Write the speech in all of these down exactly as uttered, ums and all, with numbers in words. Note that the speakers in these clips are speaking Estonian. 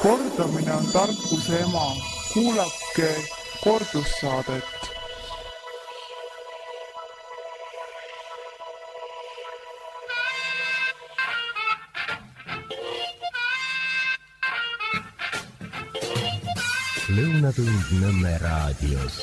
Kordamine on tarkuse ema. Kuulake kordussaadet. Lõunatund Nõmme raadios.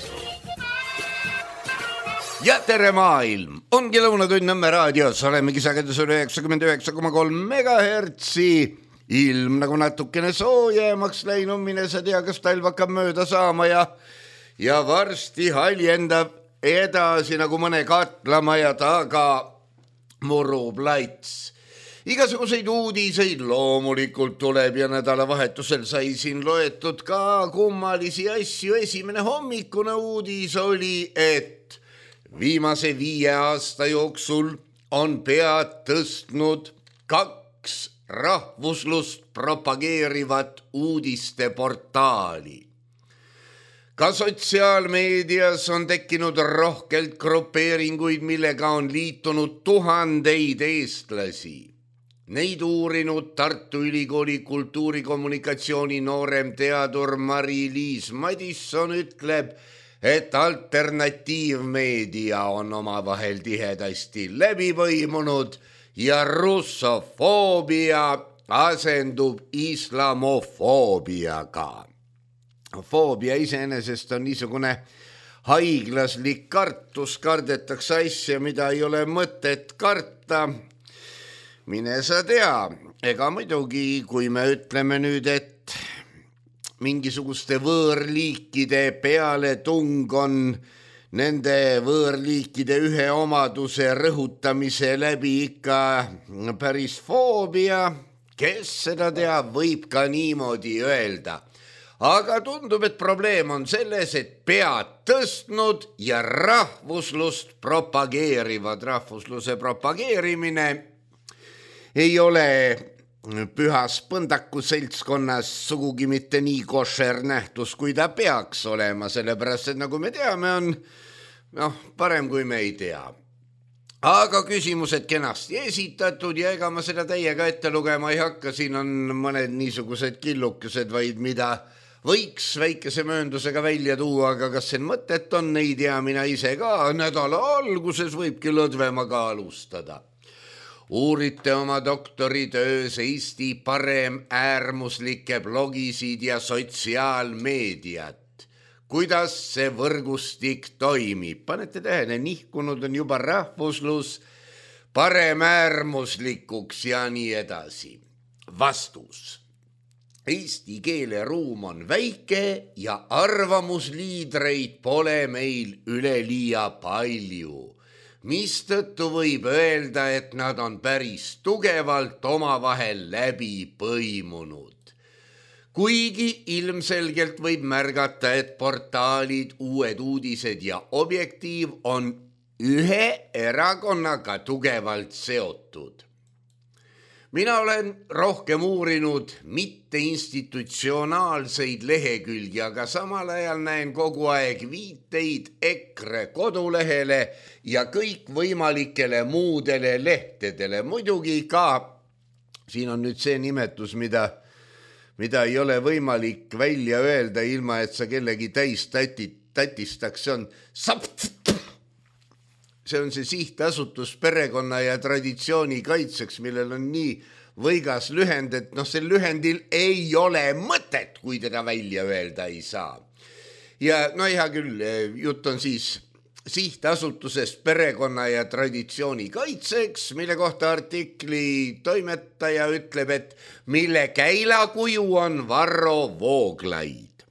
Ja tere maailm! Ongi Lõunatund Nõmme raadios. Olemegi sagedusel üheksakümmend üheksa koma kolm megahertsi. Ilm nagu natukene soojemaks läinud, mine sa tea, kas talv hakkab mööda saama ja, ja varsti haljendab edasi nagu mõne katlamaja taga murub laits. Igasuguseid uudiseid loomulikult tuleb ja nädalavahetusel sai siin loetud ka kummalisi asju. Esimene hommikune uudis oli, et viimase viie aasta jooksul on pead tõstnud kaks rahvuslust propageerivat uudisteportaali. Ka sotsiaalmeedias on tekkinud rohkelt grupeeringuid, millega on liitunud tuhandeid eestlasi. Neid uurinud Tartu Ülikooli kultuurikommunikatsiooni noorem teadur Mari-Liis Madisson ütleb, et alternatiivmeedia on omavahel tihedasti läbi põimunud ja russofoobia asendub islamofoobiaga. Foobia iseenesest on niisugune haiglaslik kartus, kardetakse asja, mida ei ole mõtet karta. Mine sa tea, ega muidugi, kui me ütleme nüüd, et mingisuguste võõrliikide peale tung on nende võõrliikide ühe omaduse rõhutamise läbi ikka päris foobia, kes seda teab, võib ka niimoodi öelda. Aga tundub, et probleem on selles, et pead tõstnud ja rahvuslust propageerivad. Rahvusluse propageerimine ei ole pühas põndaku seltskonnas sugugi mitte nii košer nähtus, kui ta peaks olema, sellepärast, et nagu me teame, on noh, parem kui me ei tea. Aga küsimused kenasti esitatud ja ega ma seda täiega ette lugema ei hakka, siin on mõned niisugused killukesed, vaid mida võiks väikese mööndusega välja tuua, aga kas see mõtet on, ei tea mina ise ka, nädala alguses võibki lõdvemaga alustada. Uurite oma doktoritöös Eesti parem äärmuslike blogisid ja sotsiaalmeediat. Kuidas see võrgustik toimib? Panete tähele, nihkunud on juba rahvuslus parem äärmuslikuks ja nii edasi. Vastus. Eesti keeleruum on väike ja arvamusliidreid pole meil üleliia palju. Mistõttu võib öelda, et nad on päris tugevalt omavahel läbi põimunud. Kuigi ilmselgelt võib märgata, et portaalid, uued uudised ja objektiiv on ühe erakonnaga tugevalt seotud. Mina olen rohkem uurinud mitte institutsionaalseid lehekülgi, aga samal ajal näen kogu aeg viiteid EKRE kodulehele ja kõik võimalikele muudele lehtedele. Muidugi ka, siin on nüüd see nimetus, mida, mida ei ole võimalik välja öelda, ilma et sa kellegi täis tatit, tatistaks, see on sapt. See on see sihtasutus perekonna ja traditsiooni kaitseks, millel on nii võigas lühend, et noh, see lühendil ei ole mõtet, kui teda välja öelda ei saa. Ja no hea küll, jutt on siis sihtasutusest perekonna ja traditsiooni kaitseks, mille kohta artikli toimetaja ütleb, et mille käilakuju on Varro Vooglaid.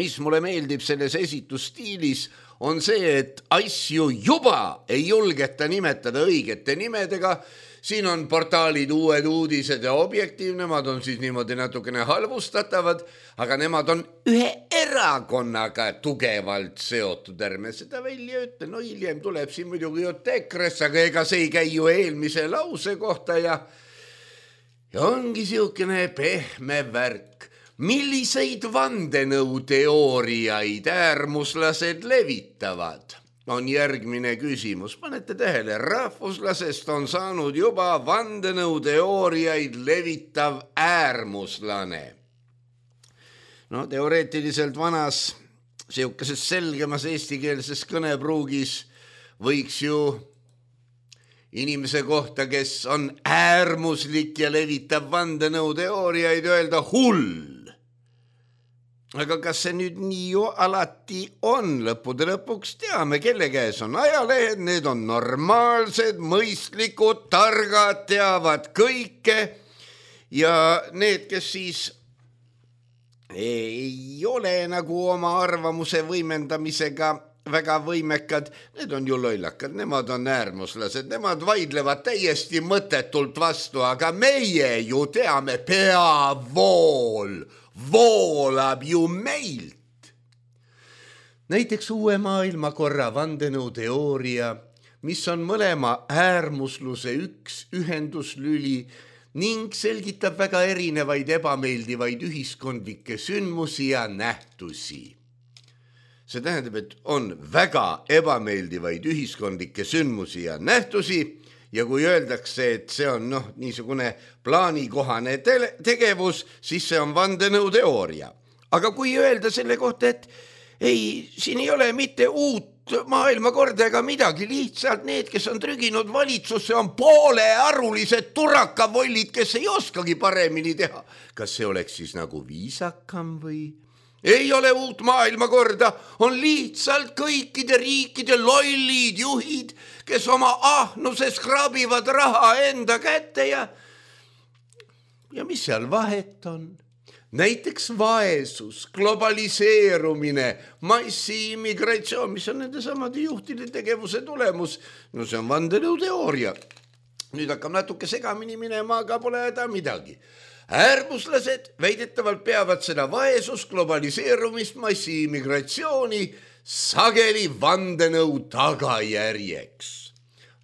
Mis mulle meeldib selles esitusstiilis, on see, et asju juba ei julgeta nimetada õigete nimedega. Siin on portaalid uued uudised ja objektiiv, nemad on siis niimoodi natukene halvustatavad, aga nemad on ühe erakonnaga tugevalt seotud. Ärme seda välja ütle, no hiljem tuleb siin muidugi jutt EKRE-s, aga ega see ei käi ju eelmise lause kohta ja, ja ongi siukene pehme värk. Milliseid vandenõuteooriaid äärmuslased levitavad? On järgmine küsimus. Panete tähele, rahvuslasest on saanud juba vandenõuteooriaid levitav äärmuslane. no teoreetiliselt vanas siukeses selgemas eestikeelses kõnepruugis võiks ju inimese kohta, kes on äärmuslik ja levitab vandenõuteooriaid, öelda hull. Aga kas see nüüd nii ju alati on? Lõppude lõpuks teame, kelle käes on ajalehed, need on normaalsed, mõistlikud, targad, teavad kõike ja need, kes siis ei ole nagu oma arvamuse võimendamisega väga võimekad, need on ju lollakad, nemad on äärmuslased, nemad vaidlevad täiesti mõttetult vastu, aga meie ju teame, peavool voolab ju meilt. Näiteks uue maailmakorra vandenõuteooria, mis on mõlema äärmusluse üks ühenduslüli ning selgitab väga erinevaid ebameeldivaid ühiskondlikke sündmusi ja nähtusi. See tähendab, et on väga ebameeldivaid ühiskondlikke sündmusi ja nähtusi ja kui öeldakse, et see on noh, niisugune plaanikohane te- tegevus, siis see on vandenõuteooria. Aga kui öelda selle kohta, et ei, siin ei ole mitte uut maailmakorda ega midagi, lihtsalt need, kes on trüginud valitsusse, on poolearulised turakavollid, kes ei oskagi paremini teha. Kas see oleks siis nagu viisakam või? Ei ole uut maailmakorda, on lihtsalt kõikide riikide lollid juhid, kes oma ahnuses krabivad raha enda kätte ja ja mis seal vahet on? Näiteks vaesus, globaliseerumine, massiimmigratsioon, mis on nende samade juhtide tegevuse tulemus. No see on vandenõuteooria. Nüüd hakkab natuke segamini minema, aga pole häda midagi. Äärmuslased väidetavalt peavad seda vaesus, globaliseerumist, massiimmigratsiooni sageli vandenõu tagajärjeks.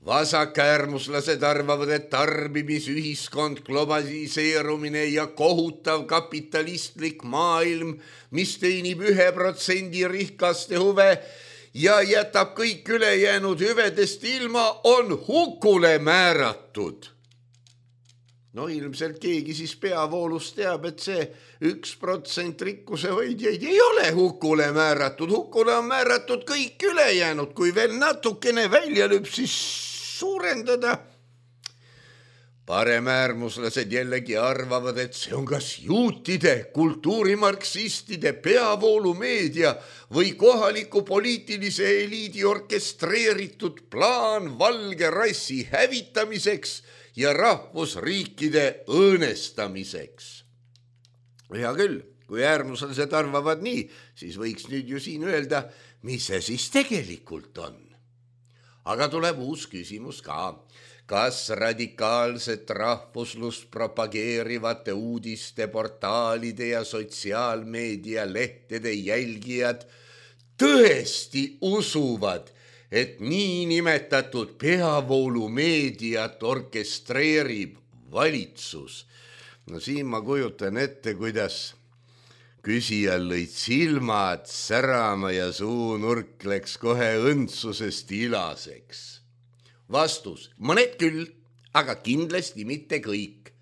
Vasakäärmuslased arvavad, et tarbimisühiskond, globaliseerumine ja kohutav kapitalistlik maailm, mis teenib ühe protsendi rikaste huve ja jätab kõik ülejäänud hüvedest ilma, on hukule määratud. No ilmselt keegi siis peavoolus teab, et see üks protsent rikkuse hoidjaid ei ole hukule määratud. Hukule on määratud kõik ülejäänud, kui veel natukene välja lüb, siis suurendada. Paremäärmuslased jällegi arvavad, et see on kas juutide, kultuurimarksistide, peavoolumeedia või kohaliku poliitilise eliidi orkestreeritud plaan valge rassi hävitamiseks ja rahvusriikide õõnestamiseks. Hea küll, kui äärmuslased arvavad nii, siis võiks nüüd ju siin öelda, mis see siis tegelikult on. Aga tuleb uus küsimus ka. Kas radikaalset rahvuslust propageerivate uudiste, portaalide ja sotsiaalmeedia lehtede jälgijad tõesti usuvad, et niinimetatud peavoolumeediat orkestreerib valitsus? No siin ma kujutan ette, kuidas küsijal lõid silmad särama ja suunurk läks kohe õndsusest ilaseks. Vastus, mõned küll, aga kindlasti mitte kõik.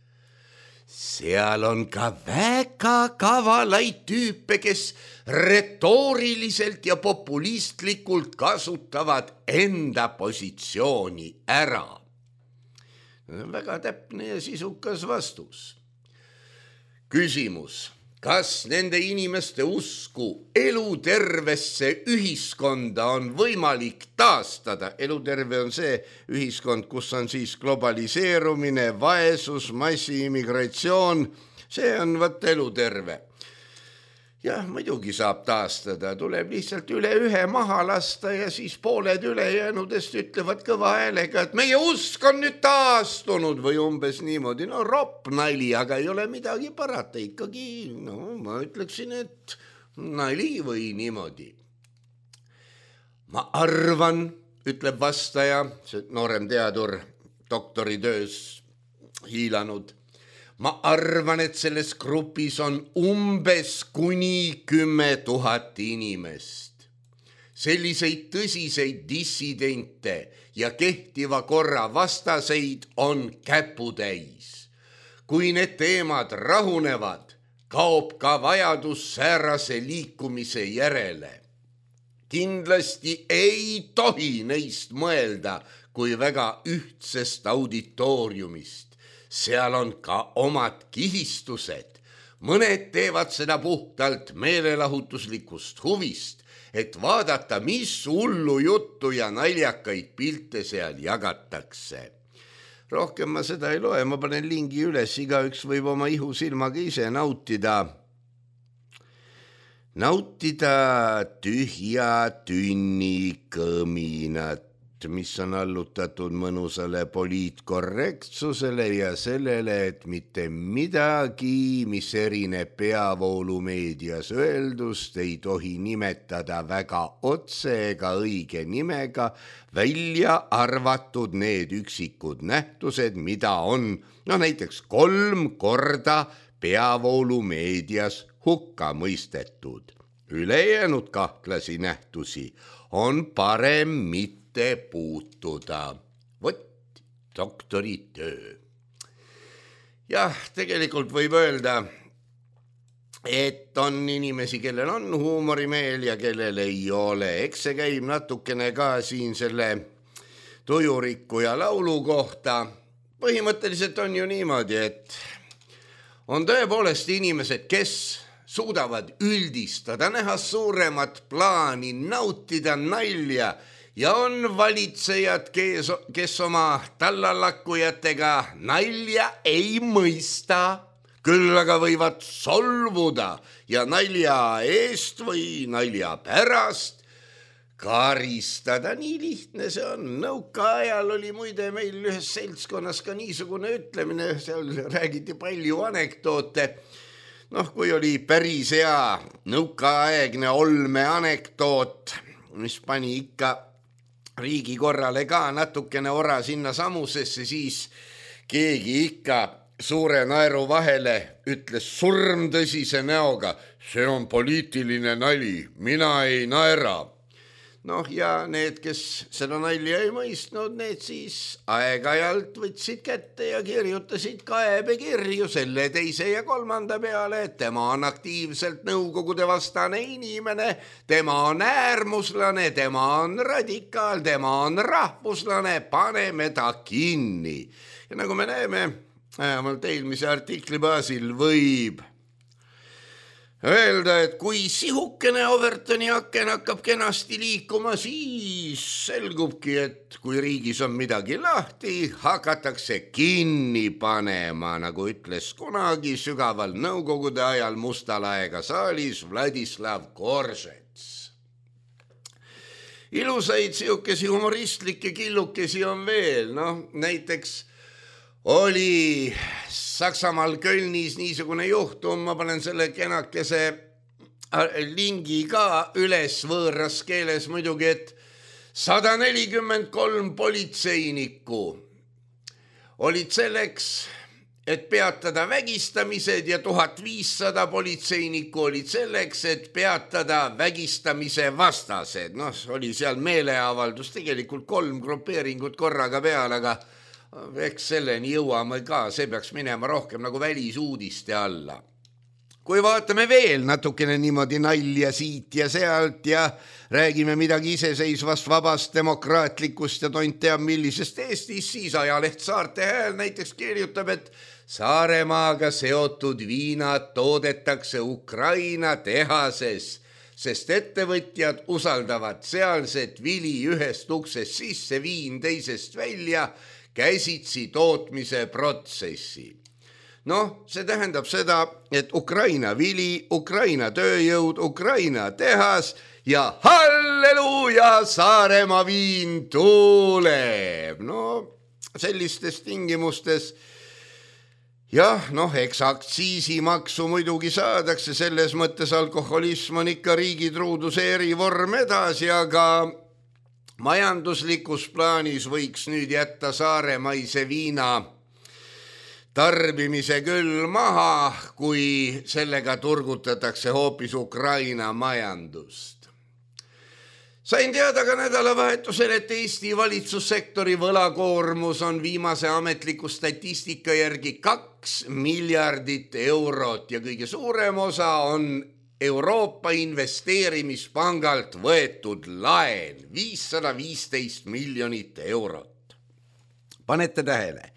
Seal on ka väga kavalaid tüüpe, kes retooriliselt ja populistlikult kasutavad enda positsiooni ära. Väga täpne ja sisukas vastus. Küsimus. Kas nende inimeste usku elutervesse ühiskonda on võimalik taastada? Eluterve on see ühiskond, kus on siis globaliseerumine, vaesus, massiimmigratsioon. See on võt eluterve. Jah, muidugi saab taastada. Tuleb lihtsalt üle ühe maha lasta ja siis pooled ülejäänudest ütlevad kõva häälega, et meie usk on nüüd taastunud või umbes niimoodi. No ropp nali, aga ei ole midagi parata. Ikkagi, no ma ütleksin, et nali või niimoodi. Ma arvan, ütleb vastaja, see noorem teadur doktoritöös hiilanud. Ma arvan, et selles grupis on umbes kuni kümme tuhat inimest. Selliseid tõsiseid dissidente ja kehtiva korra vastaseid on käputäis. Kui need teemad rahunevad, kaob ka vajadus säärase liikumise järele. Kindlasti ei tohi neist mõelda kui väga ühtsest auditooriumist. Seal on ka omad kihistused. Mõned teevad seda puhtalt meelelahutuslikust huvist, et vaadata, mis hullu juttu ja naljakaid pilte seal jagatakse. Rohkem ma seda ei loe, ma panen lingi üles, igaüks võib oma ihu silmaga ise nautida. Nautida tühja tünni kõminat, mis on allutatud mõnusale poliitkorrektsusele ja sellele, et mitte midagi, mis erineb peavoolumeedias öeldust, ei tohi nimetada väga otse ega õige nimega, välja arvatud need üksikud nähtused, mida on no näiteks kolm korda peavoolumeedias hukka mõistetud. Ülejäänud kahtlasi nähtusi on parem mitte puutuda. Vot doktoritöö. Jah, tegelikult võib öelda, et on inimesi, kellel on huumorimeel ja kellel ei ole. Eks see käib natukene ka siin selle tujuriku ja laulu kohta. Põhimõtteliselt on ju niimoodi, et on tõepoolest inimesed, kes suudavad üldistada, näha suuremat plaani, nautida nalja ja on valitsejad, kes, kes oma tallalakkujatega nalja ei mõista, küll aga võivad solvuda ja nalja eest või nalja pärast karistada. Nii lihtne see on. Nõukaajal oli muide meil ühes seltskonnas ka niisugune ütlemine, seal räägiti palju anekdoote. Noh, kui oli päris hea nõukaaegne olme anekdoot, mis pani ikka riigi korrale ka natukene ora sinna samusesse, siis keegi ikka suure naeru vahele ütles surmtõsise näoga, see on poliitiline nali, mina ei naera. Noh, ja need, kes seda nalja ei mõistnud, need siis aeg-ajalt võtsid kätte ja kirjutasid kaebekirju selle teise ja kolmanda peale, et tema on aktiivselt nõukogude vastane inimene, tema on äärmuslane, tema on radikaal, tema on rahvuslane, paneme ta kinni. Ja nagu me näeme, vähemalt eelmise artikli baasil võib öelda, et kui sihukene Overtoni aken hakkab kenasti liikuma, siis selgubki, et kui riigis on midagi lahti, hakatakse kinni panema, nagu ütles kunagi sügaval nõukogude ajal Mustalaega saalis Vladislav Koržets. Ilusaid sihukesi humoristlikke killukesi on veel, noh, näiteks oli Saksamaal Kölnis niisugune juhtum, ma panen selle kenakese lingi ka üles võõras keeles muidugi, et sada nelikümmend kolm politseinikku olid selleks, et peatada vägistamised ja tuhat viissada politseinikku olid selleks, et peatada vägistamise vastased. Noh, oli seal meeleavaldus, tegelikult kolm grupeeringut korraga peal, aga eks selleni jõuame ka, see peaks minema rohkem nagu välisuudiste alla. Kui vaatame veel natukene niimoodi nalja siit ja sealt ja räägime midagi iseseisvast, vabast, demokraatlikust ja tont teab millisest Eestis, siis ajaleht Saarte Hääl näiteks kirjutab, et Saaremaaga seotud viinad toodetakse Ukraina tehases, sest ettevõtjad usaldavad sealset vili ühest uksest sisse, viin teisest välja, käsitsi tootmise protsessi. Noh, see tähendab seda, et Ukraina vili, Ukraina tööjõud, Ukraina tehas ja halleluuja, Saaremaa viin tuuleb. No, sellistes tingimustes, jah, noh, eks aktsiisimaksu muidugi saadakse, selles mõttes alkoholism on ikka riigitruuduse erivorm edasi, aga majanduslikus plaanis võiks nüüd jätta saaremaise viina tarbimise küll maha, kui sellega turgutatakse hoopis Ukraina majandust. Sain teada ka nädalavahetusel, et Eesti valitsussektori võlakoormus on viimase ametliku statistika järgi kaks miljardit eurot ja kõige suurem osa on Euroopa investeerimispangalt võetud laen viissada viisteist miljonit eurot. Panete tähele,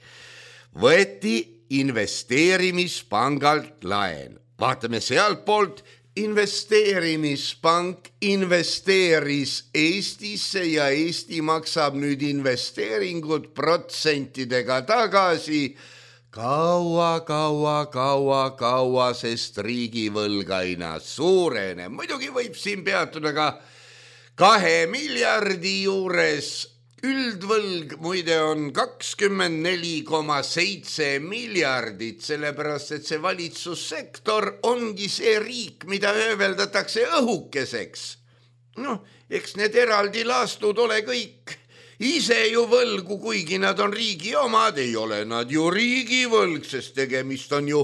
võeti investeerimispangalt laen. Vaatame sealt poolt, investeerimispank investeeris Eestisse ja Eesti maksab nüüd investeeringud protsentidega tagasi kaua, kaua, kaua, kaua, sest riigivõlg aina suureneb. Muidugi võib siin peatuda ka kahe miljardi juures. Üldvõlg muide on kakskümmend neli koma seitse miljardit, sellepärast et see valitsussektor ongi see riik, mida ööveldatakse õhukeseks. Noh, eks need eraldi laastud ole kõik ise ju võlgu, kuigi nad on riigi omad, ei ole nad ju riigivõlg, sest tegemist on ju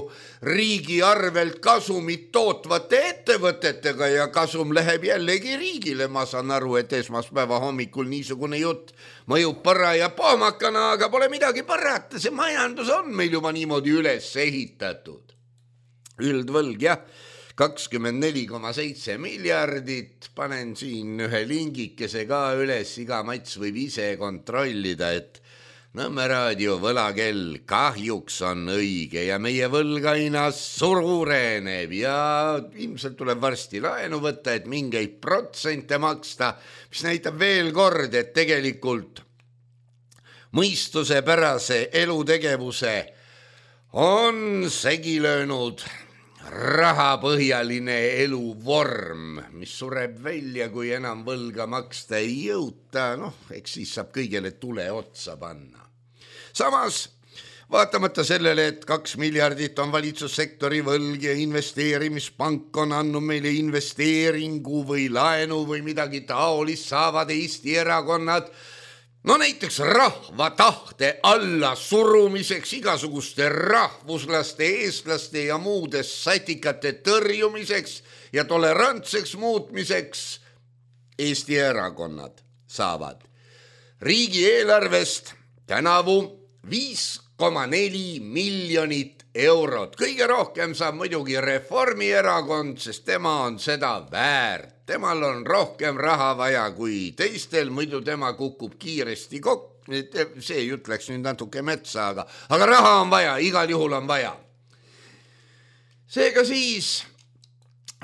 riigi arvelt kasumit tootvate ettevõtetega ja kasum läheb jällegi riigile. Ma saan aru, et esmaspäeva hommikul niisugune jutt mõjub põra ja pohmakana, aga pole midagi parata, see majandus on meil juba niimoodi üles ehitatud. Üldvõlg, jah, kakskümmend neli koma seitse miljardit, panen siin ühe lingikese ka üles, iga mats võib ise kontrollida, et Nõmme raadio võlakell kahjuks on õige ja meie võlg aina suureneb ja ilmselt tuleb varsti laenu võtta, et mingeid protsente maksta, mis näitab veel kord, et tegelikult mõistusepärase elutegevuse on segi löönud rahapõhjaline eluvorm, mis sureb välja, kui enam võlga maksta ei jõuta, noh, eks siis saab kõigele tule otsa panna. Samas, vaatamata sellele, et kaks miljardit on valitsussektori võlg ja investeerimispank on andnud meile investeeringu või laenu või midagi taolist, saavad Eesti erakonnad no näiteks rahva tahte alla surumiseks, igasuguste rahvuslaste, eestlaste ja muude satikate tõrjumiseks ja tolerantseks muutmiseks Eesti erakonnad saavad riigieelarvest tänavu viis koma neli miljonit eurot. Kõige rohkem saab muidugi Reformierakond, sest tema on seda väärt. Temal on rohkem raha vaja kui teistel, muidu tema kukub kiiresti kokku. See jutt läks nüüd natuke metsa, aga, aga raha on vaja, igal juhul on vaja. Seega siis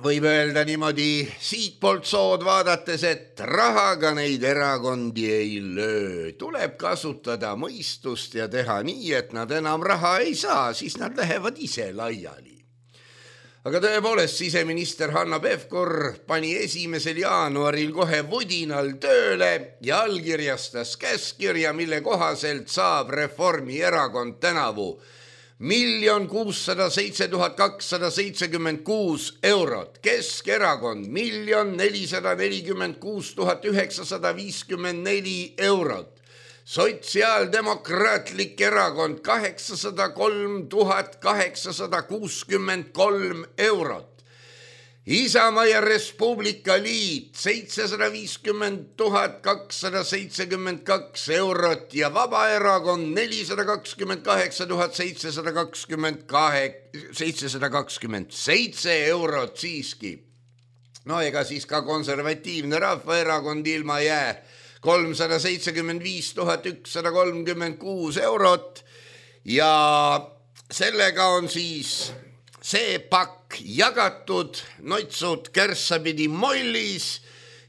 võib öelda niimoodi siit poolt sood vaadates, et rahaga neid erakondi ei löö. Tuleb kasutada mõistust ja teha nii, et nad enam raha ei saa, siis nad lähevad ise laiali. Aga tõepoolest, siseminister Hanno Pevkur pani esimesel jaanuaril kohe vudinal tööle ja allkirjastas käskkirja, mille kohaselt saab Reformierakond tänavu miljon kuussada seitse tuhat kakssada seitsekümmend kuus eurot, Keskerakond miljon nelisada nelikümmend kuus tuhat üheksasada viiskümmend neli eurot, Sotsiaaldemokraatlik erakond kaheksasada kolm tuhat kaheksasada kuuskümmend kolm eurot, Isamaa ja Res Publica Liit seitsesada viiskümmend tuhat kakssada seitsekümmend kaks eurot ja Vabaerakond nelisada kakskümmend kaheksa tuhat seitsesada kakskümmend seitse eurot siiski. No ega siis ka konservatiivne Rahvaerakond ilma jää kolmsada seitsekümmend viis tuhat ükssada kolmkümmend kuus eurot ja sellega on siis see pakk jagatud, noitsud kärssapidi mollis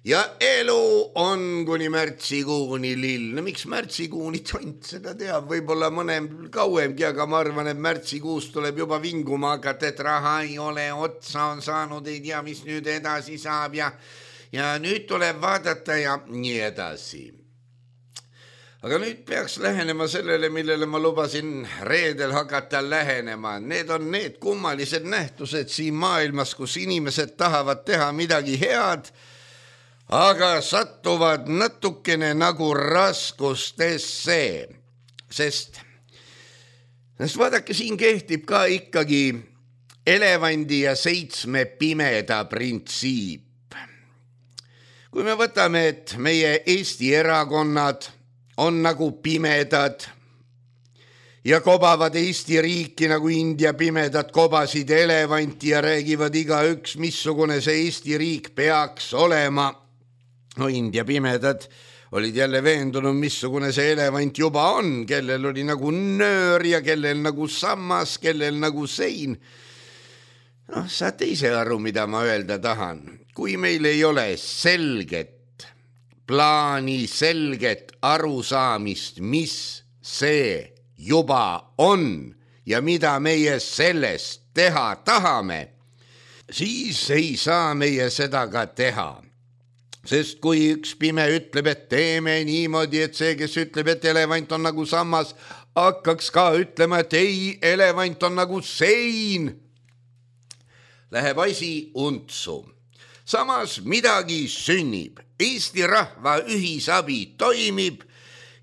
ja elu on kuni märtsikuuni lill. No miks märtsikuuni tont seda teab, võib-olla mõnem kauemgi, aga ma arvan, et märtsikuus tuleb juba vinguma hakata, et raha ei ole, otsa on saanud, ei tea, mis nüüd edasi saab ja, ja nüüd tuleb vaadata ja nii edasi. Aga nüüd peaks lähenema sellele, millele ma lubasin reedel hakata lähenema. Need on need kummalised nähtused siin maailmas, kus inimesed tahavad teha midagi head, aga sattuvad natukene nagu raskustesse. Sest, sest vaadake, siin kehtib ka ikkagi elevandi ja seitsme pimeda printsiip. kui me võtame, et meie Eesti erakonnad on nagu pimedad ja kobavad Eesti riiki nagu India pimedad kobasid elevanti ja räägivad igaüks, missugune see Eesti riik peaks olema. No India pimedad olid jälle veendunud, missugune see elevant juba on, kellel oli nagu nöör ja kellel nagu sammas, kellel nagu sein. Noh, saate ise aru, mida ma öelda tahan. Kui meil ei ole selget plaani, selget arusaamist, mis see juba on ja mida meie sellest teha tahame, siis ei saa meie seda ka teha. Sest kui üks pime ütleb, et teeme niimoodi, et see, kes ütleb, et elevant on nagu sammas, hakkaks ka ütlema, et ei, elevant on nagu sein, läheb asi untsu. Samas midagi sünnib, Eesti rahva ühisabi toimib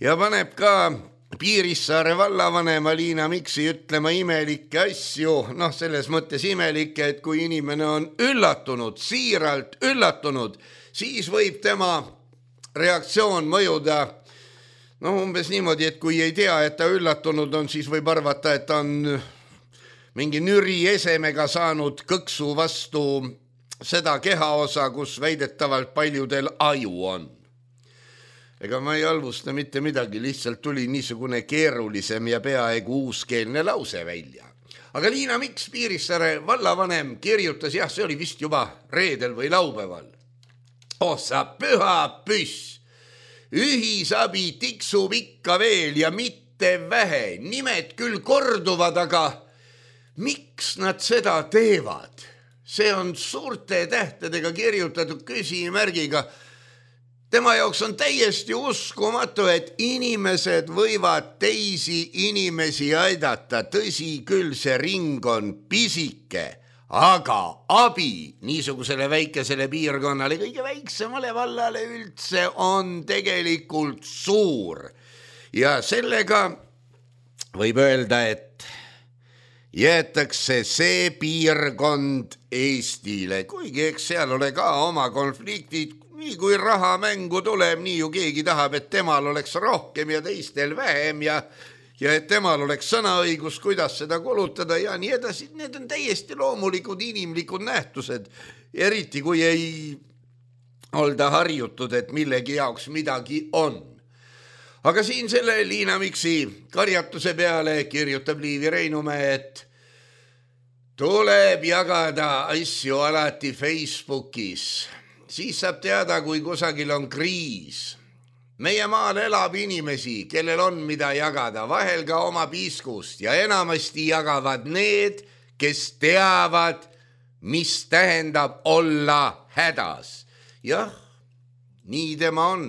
ja paneb ka Piirissaare vallavanema Liina Miksi ütlema imelikke asju, noh selles mõttes imelikke, et kui inimene on üllatunud, siiralt üllatunud, siis võib tema reaktsioon mõjuda no umbes niimoodi, et kui ei tea, et ta üllatunud on, siis võib arvata, et ta on mingi nüri esemega saanud kõksu vastu seda kehaosa, kus väidetavalt paljudel aju on. Ega ma ei halvusta mitte midagi, lihtsalt tuli niisugune keerulisem ja peaaegu uuskeelne lause välja. Aga Liina Miks, Piirissaare vallavanem, kirjutas, jah, see oli vist juba reedel või laupäeval. Oh, sa püha püss, ühisabi tiksub ikka veel ja mitte vähe, nimed küll korduvad, aga miks nad seda teevad? See on suurte tähtedega kirjutatud küsimärgiga. Tema jaoks on täiesti uskumatu, et inimesed võivad teisi inimesi aidata. Tõsi küll, see ring on pisike, aga abi niisugusele väikesele piirkonnale, kõige väiksemale vallale üldse on tegelikult suur. Ja sellega võib öelda, et jäetakse see piirkond Eestile, kuigi eks seal ole ka oma konfliktid. Nii kui raha mängu tuleb, nii ju keegi tahab, et temal oleks rohkem ja teistel vähem ja, ja et temal oleks sõnaõigus, kuidas seda kulutada ja nii edasi. Need on täiesti loomulikud inimlikud nähtused, eriti kui ei olda harjutud, et millegi jaoks midagi on. Aga siin selle Liina Miksi karjatuse peale kirjutab Liivi Reinumäe, et tuleb jagada asju alati Facebookis. Siis saab teada, kui kusagil on kriis. Meie maal elab inimesi, kellel on mida jagada, vahel ka oma piiskust ja enamasti jagavad need, kes teavad, mis tähendab olla hädas. Jah, nii tema on.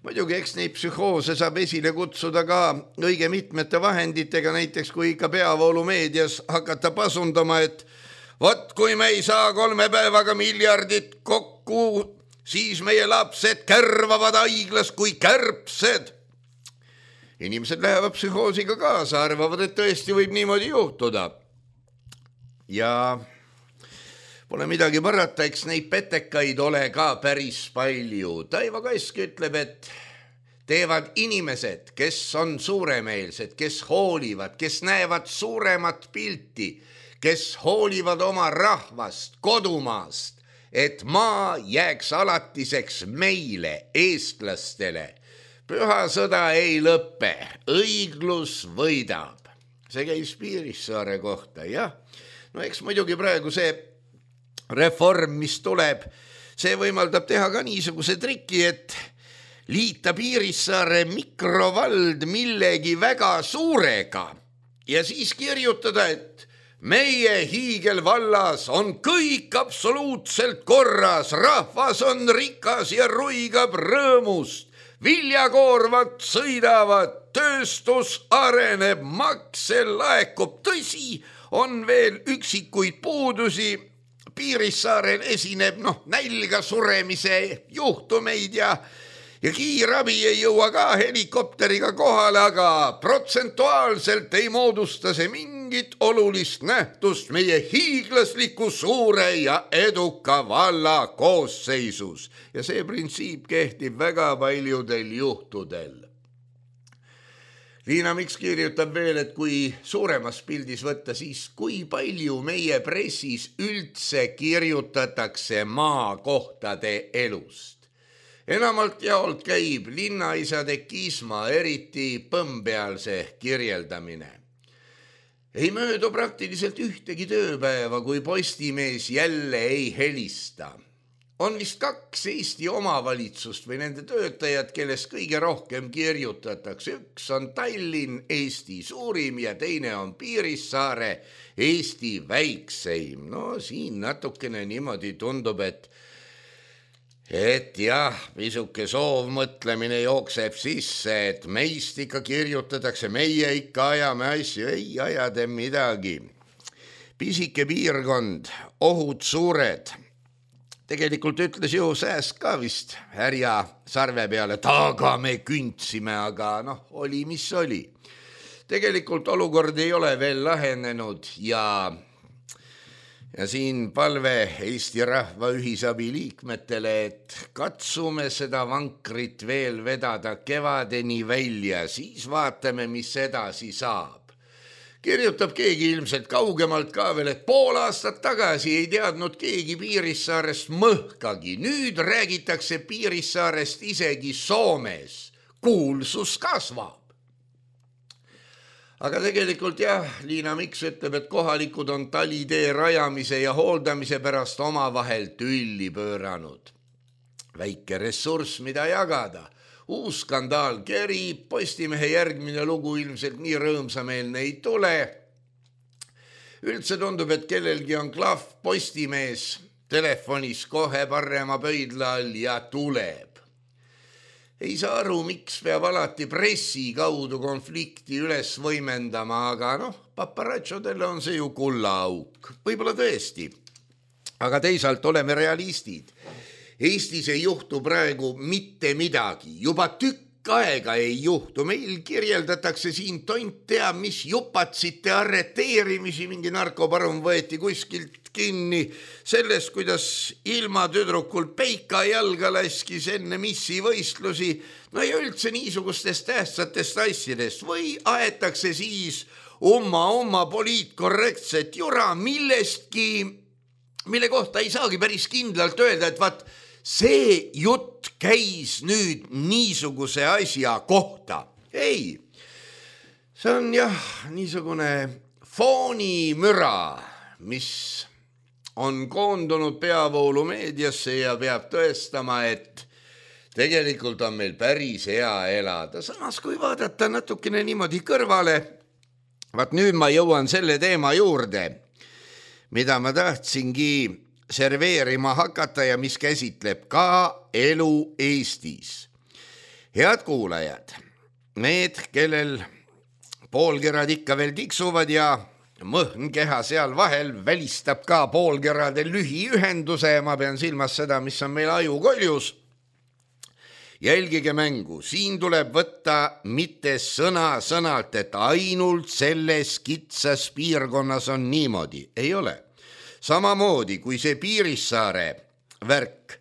Muidugi, eks neid psühhoose saab esile kutsuda ka õige mitmete vahenditega, näiteks kui ikka peavoolumeedias hakata pasundama, et vot kui me ei saa kolme päevaga miljardit kokku, siis meie lapsed kärvavad haiglas kui kärbsed. Inimesed lähevad psühhoosiga kaasa, arvavad, et tõesti võib niimoodi juhtuda. Ja pole midagi parata, eks neid petekaid ole ka päris palju. Taivo Kask ütleb, et teevad inimesed, kes on suuremeelsed, kes hoolivad, kes näevad suuremat pilti, kes hoolivad oma rahvast, kodumaast, et maa jääks alatiseks meile, eestlastele. Püha sõda ei lõppe, õiglus võidab. See käis Piirissaare kohta, jah. No eks muidugi praegu see reform, mis tuleb, see võimaldab teha ka niisuguse triki, et liita Piirissaare mikrovald millegi väga suurega ja siis kirjutada, et meie hiigelvallas on kõik absoluutselt korras, rahvas on rikas ja ruigab rõõmust, viljakoorvad sõidavad, tööstus areneb, makse laekub, tõsi, on veel üksikuid puudusi, Piirissaarel esineb noh, nälga suremise juhtumeid ja ja kiirabi ei jõua ka helikopteriga kohale, aga protsentuaalselt ei moodusta see mingit olulist nähtust meie hiiglasliku suure ja eduka valla koosseisus. Ja see printsiip kehtib väga paljudel juhtudel. Liina Miks kirjutab veel, et kui suuremas pildis võtta, siis kui palju meie pressis üldse kirjutatakse maakohtade elust. Enamalt jaolt käib linnaisade kisma, eriti põmpealse kirjeldamine. Ei möödu praktiliselt ühtegi tööpäeva, kui Postimees jälle ei helista. On vist kaks Eesti omavalitsust või nende töötajad, kellest kõige rohkem kirjutatakse. Üks on Tallinn, Eesti suurim, ja teine on Piirissaare, Eesti väikseim. No siin natukene niimoodi tundub, et Et jah, pisuke soovmõtlemine jookseb sisse, et meist ikka kirjutatakse, meie ikka ajame asju, ei ajade midagi. Pisike piirkond, ohud suured. Tegelikult ütles ju Sääsk ka vist härja sarve peale, taga me küntsime, aga noh, oli mis oli. Tegelikult olukord ei ole veel lahenenud ja... Ja siin palve Eesti Rahva Ühisabi liikmetele, et katsume seda vankrit veel vedada kevadeni välja, siis vaatame, mis edasi saab. Kirjutab keegi ilmselt kaugemalt ka veel, et pool aastat tagasi ei teadnud keegi Piirissaarest mõhkagi. Nüüd räägitakse Piirissaarest isegi Soomes. Kuulsus kasvab. Aga tegelikult jah, Liina Miks ütleb, et kohalikud on talitee rajamise ja hooldamise pärast omavahel tülli pööranud. Väike ressurss, mida jagada. Uus skandaal kerib, Postimehe järgmine lugu ilmselt nii rõõmsameelne ei tule. Üldse tundub, et kellelgi on klahv Postimees telefonis kohe parema pöidla all ja tuleb. Ei saa aru, miks peab alati pressi kaudu konflikti üles võimendama, aga noh, paparatšodele on see ju kullaauk. Võib-olla tõesti. Aga teisalt oleme realistid. Eestis ei juhtu praegu mitte midagi. Juba tükk aega ei juhtu. Meil kirjeldatakse siin tont teab, mis jupatsite arreteerimisi, mingi narkoparum võeti kuskilt kinni sellest, kuidas ilma tüdrukul peika jalga laskis enne missi võistlusi, no ja üldse niisugustest tähtsatest asjadest või aetakse siis oma-oma poliitkorrektset jura millestki, mille kohta ei saagi päris kindlalt öelda, et vaat see jutt käis nüüd niisuguse asja kohta. Ei, see on jah niisugune foonimüra, mis on koondunud peavoolu meediasse ja peab tõestama, et tegelikult on meil päris hea elada. Samas kui vaadata natukene niimoodi kõrvale, vaat nüüd ma jõuan selle teema juurde, mida ma tahtsingi serveerima hakata ja mis käsitleb ka elu Eestis. Head kuulajad, need, kellel poolkerad ikka veel tiksuvad ja mõhn keha seal vahel välistab ka poolkerade lühiühenduse, ma pean silmas seda, mis on meil ajukoljus. Jälgige mängu, siin tuleb võtta mitte sõna sõnalt, et ainult selles kitsas piirkonnas on niimoodi. Ei ole. Samamoodi kui see Piirissaare värk.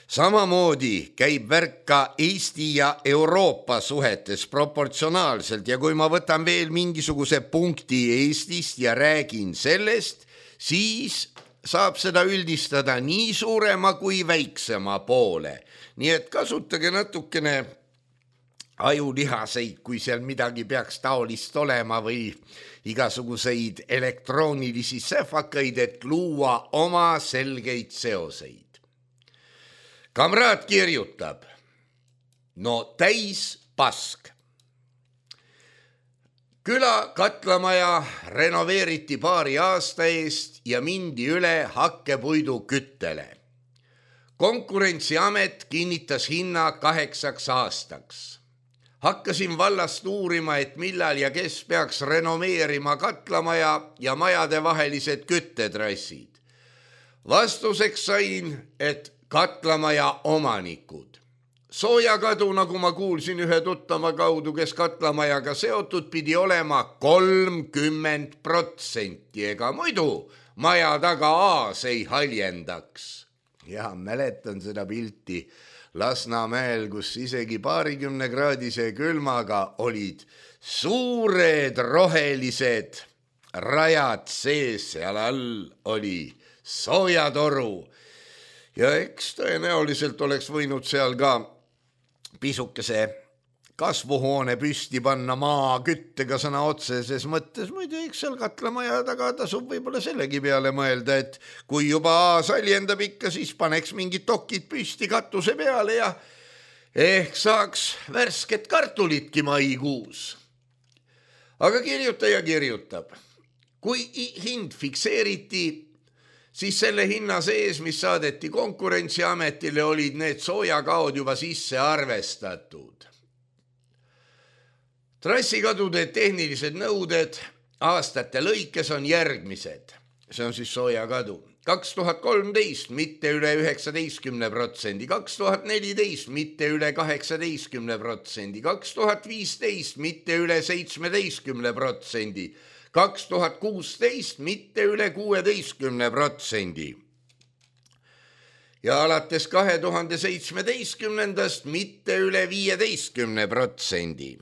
Samamoodi käib värk ka Eesti ja Euroopa suhetes proportsionaalselt ja kui ma võtan veel mingisuguse punkti Eestist ja räägin sellest, siis saab seda üldistada nii suurema kui väiksema poole. Nii et kasutage natukene ajulihaseid, kui seal midagi peaks taolist olema või igasuguseid elektroonilisi säfakaid, et luua oma selgeid seoseid. Kamraad kirjutab, no täis pask. Küla katlamaja renoveeriti paari aasta eest ja mindi üle hakkepuidu küttele. Konkurentsiamet kinnitas hinna kaheksaks aastaks. Hakkasin vallast uurima, et millal ja kes peaks renoveerima katlamaja ja majade vahelised küttetrassid. Vastuseks sain, et katlamaja omanikud. soojakadu, nagu ma kuulsin ühe tuttava kaudu, kes katlamajaga seotud, pidi olema kolmkümmend protsenti, ega muidu maja taga aas ei haljendaks. Ja mäletan seda pilti Lasnamäel, kus isegi paarikümne kraadise külmaga olid suured rohelised rajad sees, seal all oli soojatoru ja eks tõenäoliselt oleks võinud seal ka pisukese kasvuhoone püsti panna maaküttega sõna otseses mõttes, muidu eks seal katlamaja taga tasub võib-olla sellegi peale mõelda, et kui juba aas haljendab ikka, siis paneks mingid dokid püsti katuse peale ja ehk saaks värsket kartulitki maikuus. Aga kirjutaja kirjutab, kui hind fikseeriti, siis selle hinna sees, mis saadeti Konkurentsiametile, olid need soojakaod juba sisse arvestatud. Trassikadude tehnilised nõuded aastate lõikes on järgmised. See on siis soojakadu. kaks tuhat kolmteist mitte üle üheksateistkümne protsendi, kaks tuhat neliteist mitte üle kaheksateistkümne protsendi, kaks tuhat viisteist mitte üle seitsmeteistkümne protsendi, kaks tuhat kuusteist mitte üle kuueteistkümne protsendi. Ja alates kahe tuhande seitsmeteistkümnendast mitte üle viieteistkümne protsendi.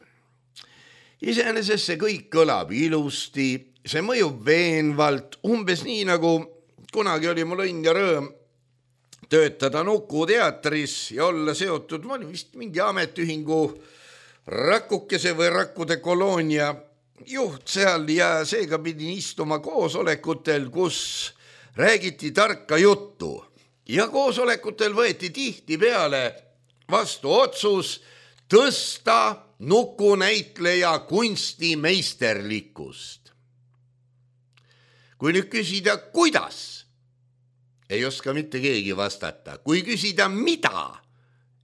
Iseenesest see kõik kõlab ilusti, see mõjub veenvalt, umbes nii nagu kunagi oli mul õnn ja rõõm töötada Nuku teatris ja olla seotud, ma olin vist mingi ametiühingu Rakukese või Rakkude koloonia juht seal ja seega pidin istuma koosolekutel, kus räägiti tarka juttu ja koosolekutel võeti tihti peale vastu otsus tõsta Nuku näitleja kunstimeisterlikkust. Kui nüüd küsida, kuidas, ei oska mitte keegi vastata. Kui küsida, mida,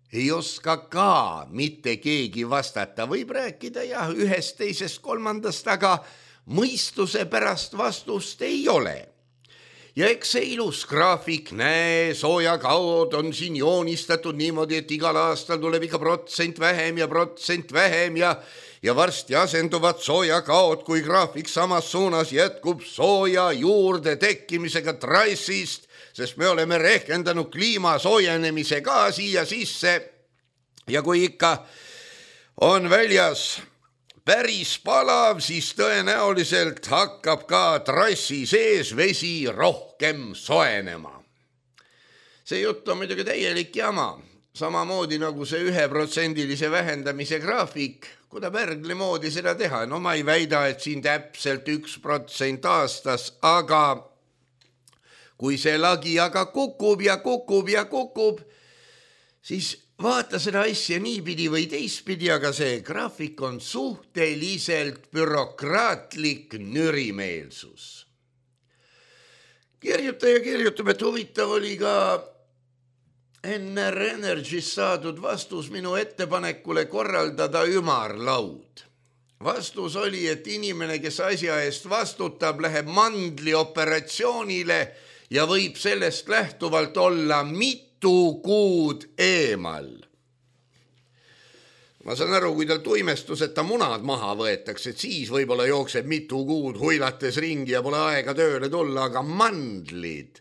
ei oska ka mitte keegi vastata. Võib rääkida jah, ühest, teisest, kolmandast, aga mõistuse pärast vastust ei ole. Ja eks see ilus graafik, näe, soojakaod on siin joonistatud niimoodi, et igal aastal tuleb ikka protsent vähem ja protsent vähem ja ja varsti asenduvad soojakaod, kui graafik samas suunas jätkub sooja juurde tekkimisega trassist, sest me oleme rehkendanud kliima soojenemise ka siia sisse ja kui ikka on väljas päris palav, siis tõenäoliselt hakkab ka trassi sees vesi rohkem soenema. See jutt on muidugi täielik jama, samamoodi nagu see üheprotsendilise vähendamise graafik, kuida pärgli moodi seda teha. No ma ei väida, et siin täpselt üks protsent aastas, aga kui see lagi aga kukub ja kukub ja kukub, siis vaata seda asja niipidi või teistpidi, aga see graafik on suhteliselt bürokraatlik nürimeelsus. Kirjutaja kirjutab, et huvitav oli ka N R Energy's saadud vastus minu ettepanekule korraldada ümarlaud. Vastus oli, et inimene, kes asja eest vastutab, läheb mandlioperatsioonile ja võib sellest lähtuvalt olla mitu kuud eemal. Ma saan aru, kui tal tuimestuseta munad maha võetakse, et siis võib-olla jookseb mitu kuud huilates ringi ja pole aega tööle tulla, aga mandlid.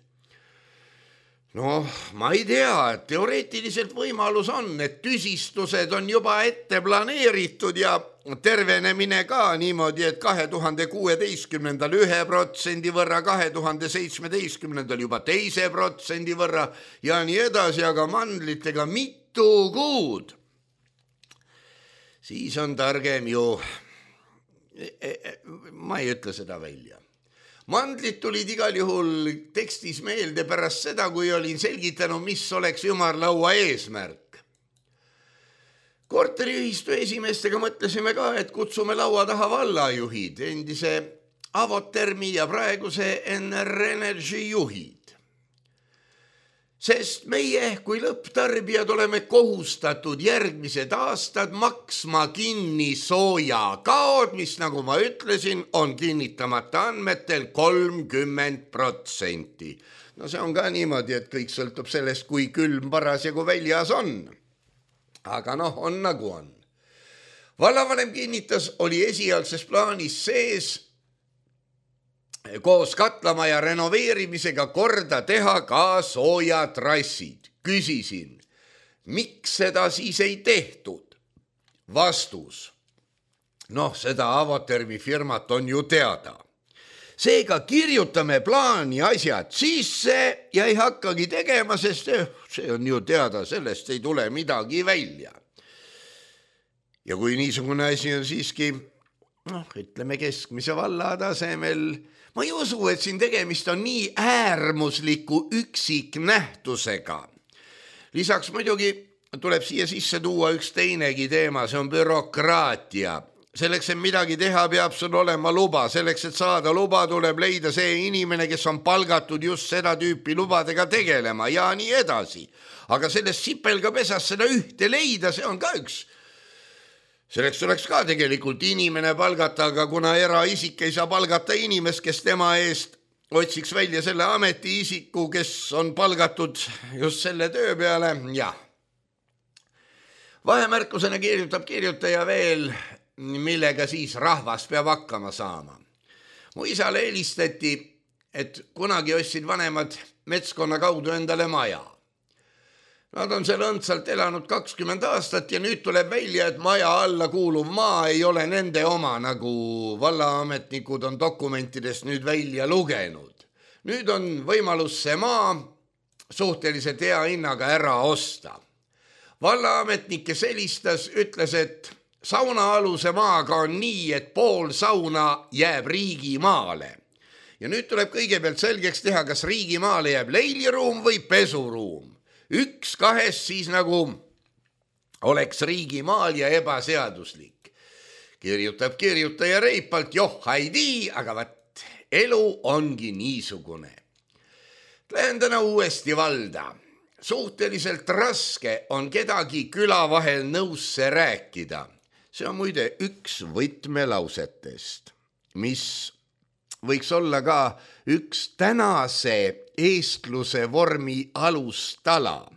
No, ma ei tea, et teoreetiliselt võimalus on, et tüsistused on juba ette planeeritud ja tervenemine ka niimoodi, et kahe tuhande kuueteistkümnendal ühe protsendi võrra, kahe tuhande seitsmeteistkümnendal juba teise protsendi võrra ja nii edasi, aga mandlitega mitu kuud. Siis on targem ju, ma ei ütle seda välja. Mandlid tulid igal juhul tekstis meelde pärast seda, kui olin selgitanud, mis oleks ümarlaua eesmärk. Korteriühistu esimeestega mõtlesime ka, et kutsume laua taha vallajuhid, endise Avotermi ja praeguse N R Energy juhid. Sest meie kui lõpptarbijad oleme kohustatud järgmised aastad maksma kinni soojakaod, mis, nagu ma ütlesin, on kinnitamata andmetel kolmkümmend protsenti. No see on ka niimoodi, et kõik sõltub sellest, kui külm parasjagu väljas on. aga noh, on nagu on. Vallavanem kinnitas, oli esialgses plaanis sees koos katlamaja renoveerimisega korda teha ka soojatrassid. Küsisin, miks seda siis ei tehtud? Vastus. Noh, seda Avotermi firmat on ju teada. Seega kirjutame plaani asjad sisse ja ei hakkagi tegema, sest see on ju teada, sellest ei tule midagi välja. Ja kui niisugune asi on siiski, noh, ütleme keskmise valla tasemel, ma ei usu, et siin tegemist on nii äärmusliku üksiknähtusega. Lisaks muidugi tuleb siia sisse tuua üks teinegi teema, see on bürokraatia. Selleks, et midagi teha, peab sul olema luba. Selleks, et saada luba, tuleb leida see inimene, kes on palgatud just seda tüüpi lubadega tegelema ja nii edasi. Aga sellest sipelgapesas seda ühte leida, see on ka üks. Selleks tuleks ka tegelikult inimene palgata, aga kuna eraisik ei saa palgata inimest, kes tema eest otsiks välja selle ametiisiku, kes on palgatud just selle töö peale, jah. Vahemärkusena kirjutab kirjutaja veel, millega siis rahvas peab hakkama saama. Mu isale helistati, et kunagi ostsid vanemad metskonna kaudu endale maja. Nad on seal õndsalt elanud kakskümmend aastat ja nüüd tuleb välja, et maja alla kuuluv maa ei ole nende oma, nagu vallaametnikud on dokumentidest nüüd välja lugenud. Nüüd on võimalus see maa suhteliselt hea hinnaga ära osta. Vallaametnik, kes helistas, ütles, et saunaaluse maaga on nii, et pool sauna jääb riigimaale. Ja nüüd tuleb kõigepealt selgeks teha, kas riigimaale jääb leiliruum või pesuruum. Üks kahest siis nagu oleks riigimaal ja ebaseaduslik. Kirjutab kirjutaja reipalt, joh, haidii, aga vaat, elu ongi niisugune. Lähen täna uuesti valda. Suhteliselt raske on kedagi küla vahel nõusse rääkida. See on muide üks võtmelausetest, mis võiks olla ka üks tänase eestluse vormi alustala.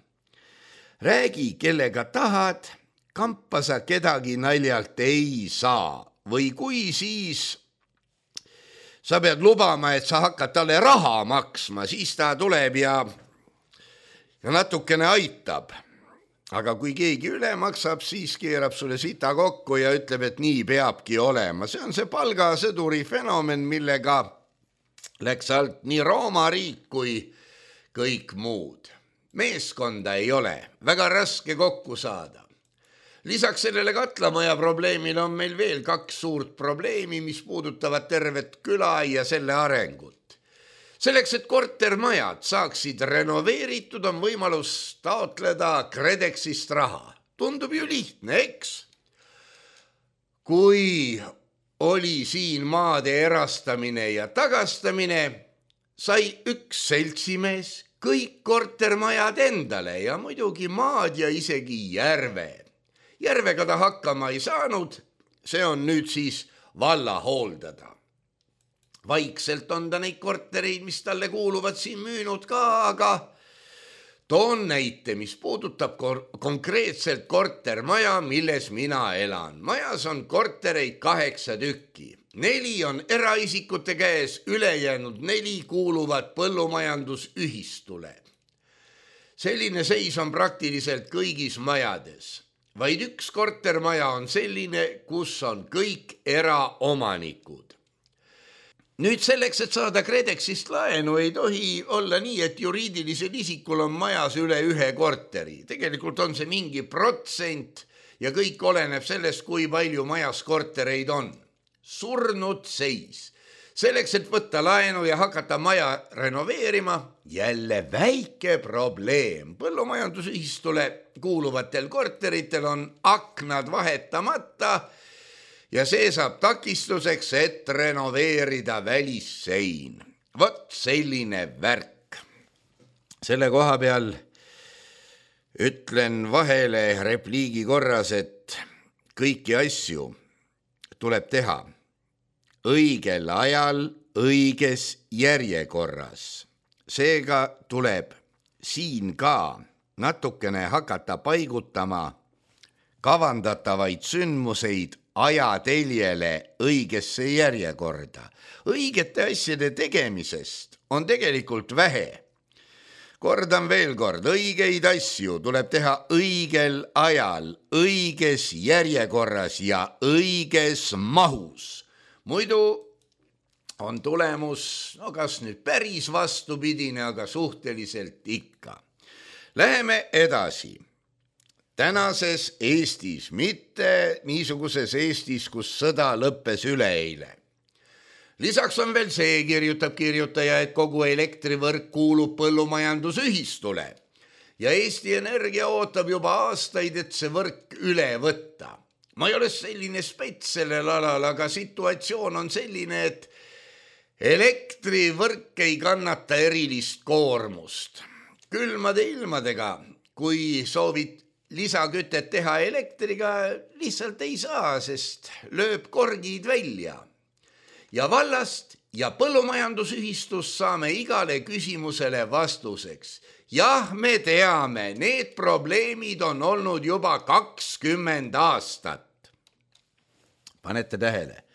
Räägi, kellega tahad, kampa sa kedagi naljalt ei saa. Või kui siis sa pead lubama, et sa hakkad talle raha maksma, siis ta tuleb ja, ja natukene aitab. Aga kui keegi üle maksab, siis keerab sulle sita kokku ja ütleb, et nii peabki olema. See on see palgasõduri fenomen, millega läks alt nii Rooma riik kui kõik muud. Meeskonda ei ole, väga raske kokku saada. Lisaks sellele katlamaja probleemile on meil veel kaks suurt probleemi, mis puudutavad tervet küla ja selle arengut. Selleks, et kortermajad saaksid renoveeritud, on võimalus taotleda KredExist raha. Tundub ju lihtne, eks? Kui oli siin maade erastamine ja tagastamine, sai üks seltsimees kõik kortermajad endale ja muidugi maad ja isegi järve. Järvega ta hakkama ei saanud, see on nüüd siis valla hooldada. Vaikselt on ta neid kortereid, mis talle kuuluvad siin müünud ka, aga toon näite, mis puudutab konkreetselt kortermaja, milles mina elan. Majas on kortereid kaheksa tükki. Neli on eraisikute käes, ülejäänud neli kuuluvad põllumajandusühistule. Selline seis on praktiliselt kõigis majades. Vaid üks kortermaja on selline, kus on kõik eraomanikud. Nüüd selleks, et saada KredExist laenu, ei tohi olla nii, et juriidilisel isikul on majas üle ühe korteri. Tegelikult on see mingi protsent ja kõik oleneb sellest, kui palju majas kortereid on. Surnud seis. Selleks, et võtta laenu ja hakata maja renoveerima, jälle väike probleem. Põllumajandusühistule kuuluvatel korteritel on aknad vahetamata ja see saab takistuseks, et renoveerida välissein. Vot selline värk. Selle koha peal ütlen vahele repliigi korras, et kõiki asju tuleb teha õigel ajal, õiges järjekorras. Seega tuleb siin ka natukene hakata paigutama kavandatavaid sündmuseid ajateljele õigesse järjekorda. Õigete asjade tegemisest on tegelikult vähe. Kordan veel kord, õigeid asju tuleb teha õigel ajal, õiges järjekorras ja õiges mahus. Muidu on tulemus, no kas nüüd päris vastupidine, aga suhteliselt ikka. Läheme edasi. Tänases Eestis, mitte niisuguses Eestis, kus sõda lõppes üleeile. Lisaks on veel see, kirjutab kirjutaja, et kogu elektrivõrk kuulub põllumajandusühistule ja Eesti Energia ootab juba aastaid, et see võrk üle võtta. Ma ei ole selline spets sellel alal, aga situatsioon on selline, et elektrivõrk ei kannata erilist koormust. Külmade ilmadega, kui soovid lisakütet teha elektriga, lihtsalt ei saa, sest lööb korgid välja. Ja vallast ja põllumajandusühistust saame igale küsimusele vastuseks. Jah, me teame, need probleemid on olnud juba kakskümmend aastat. Panete tähele,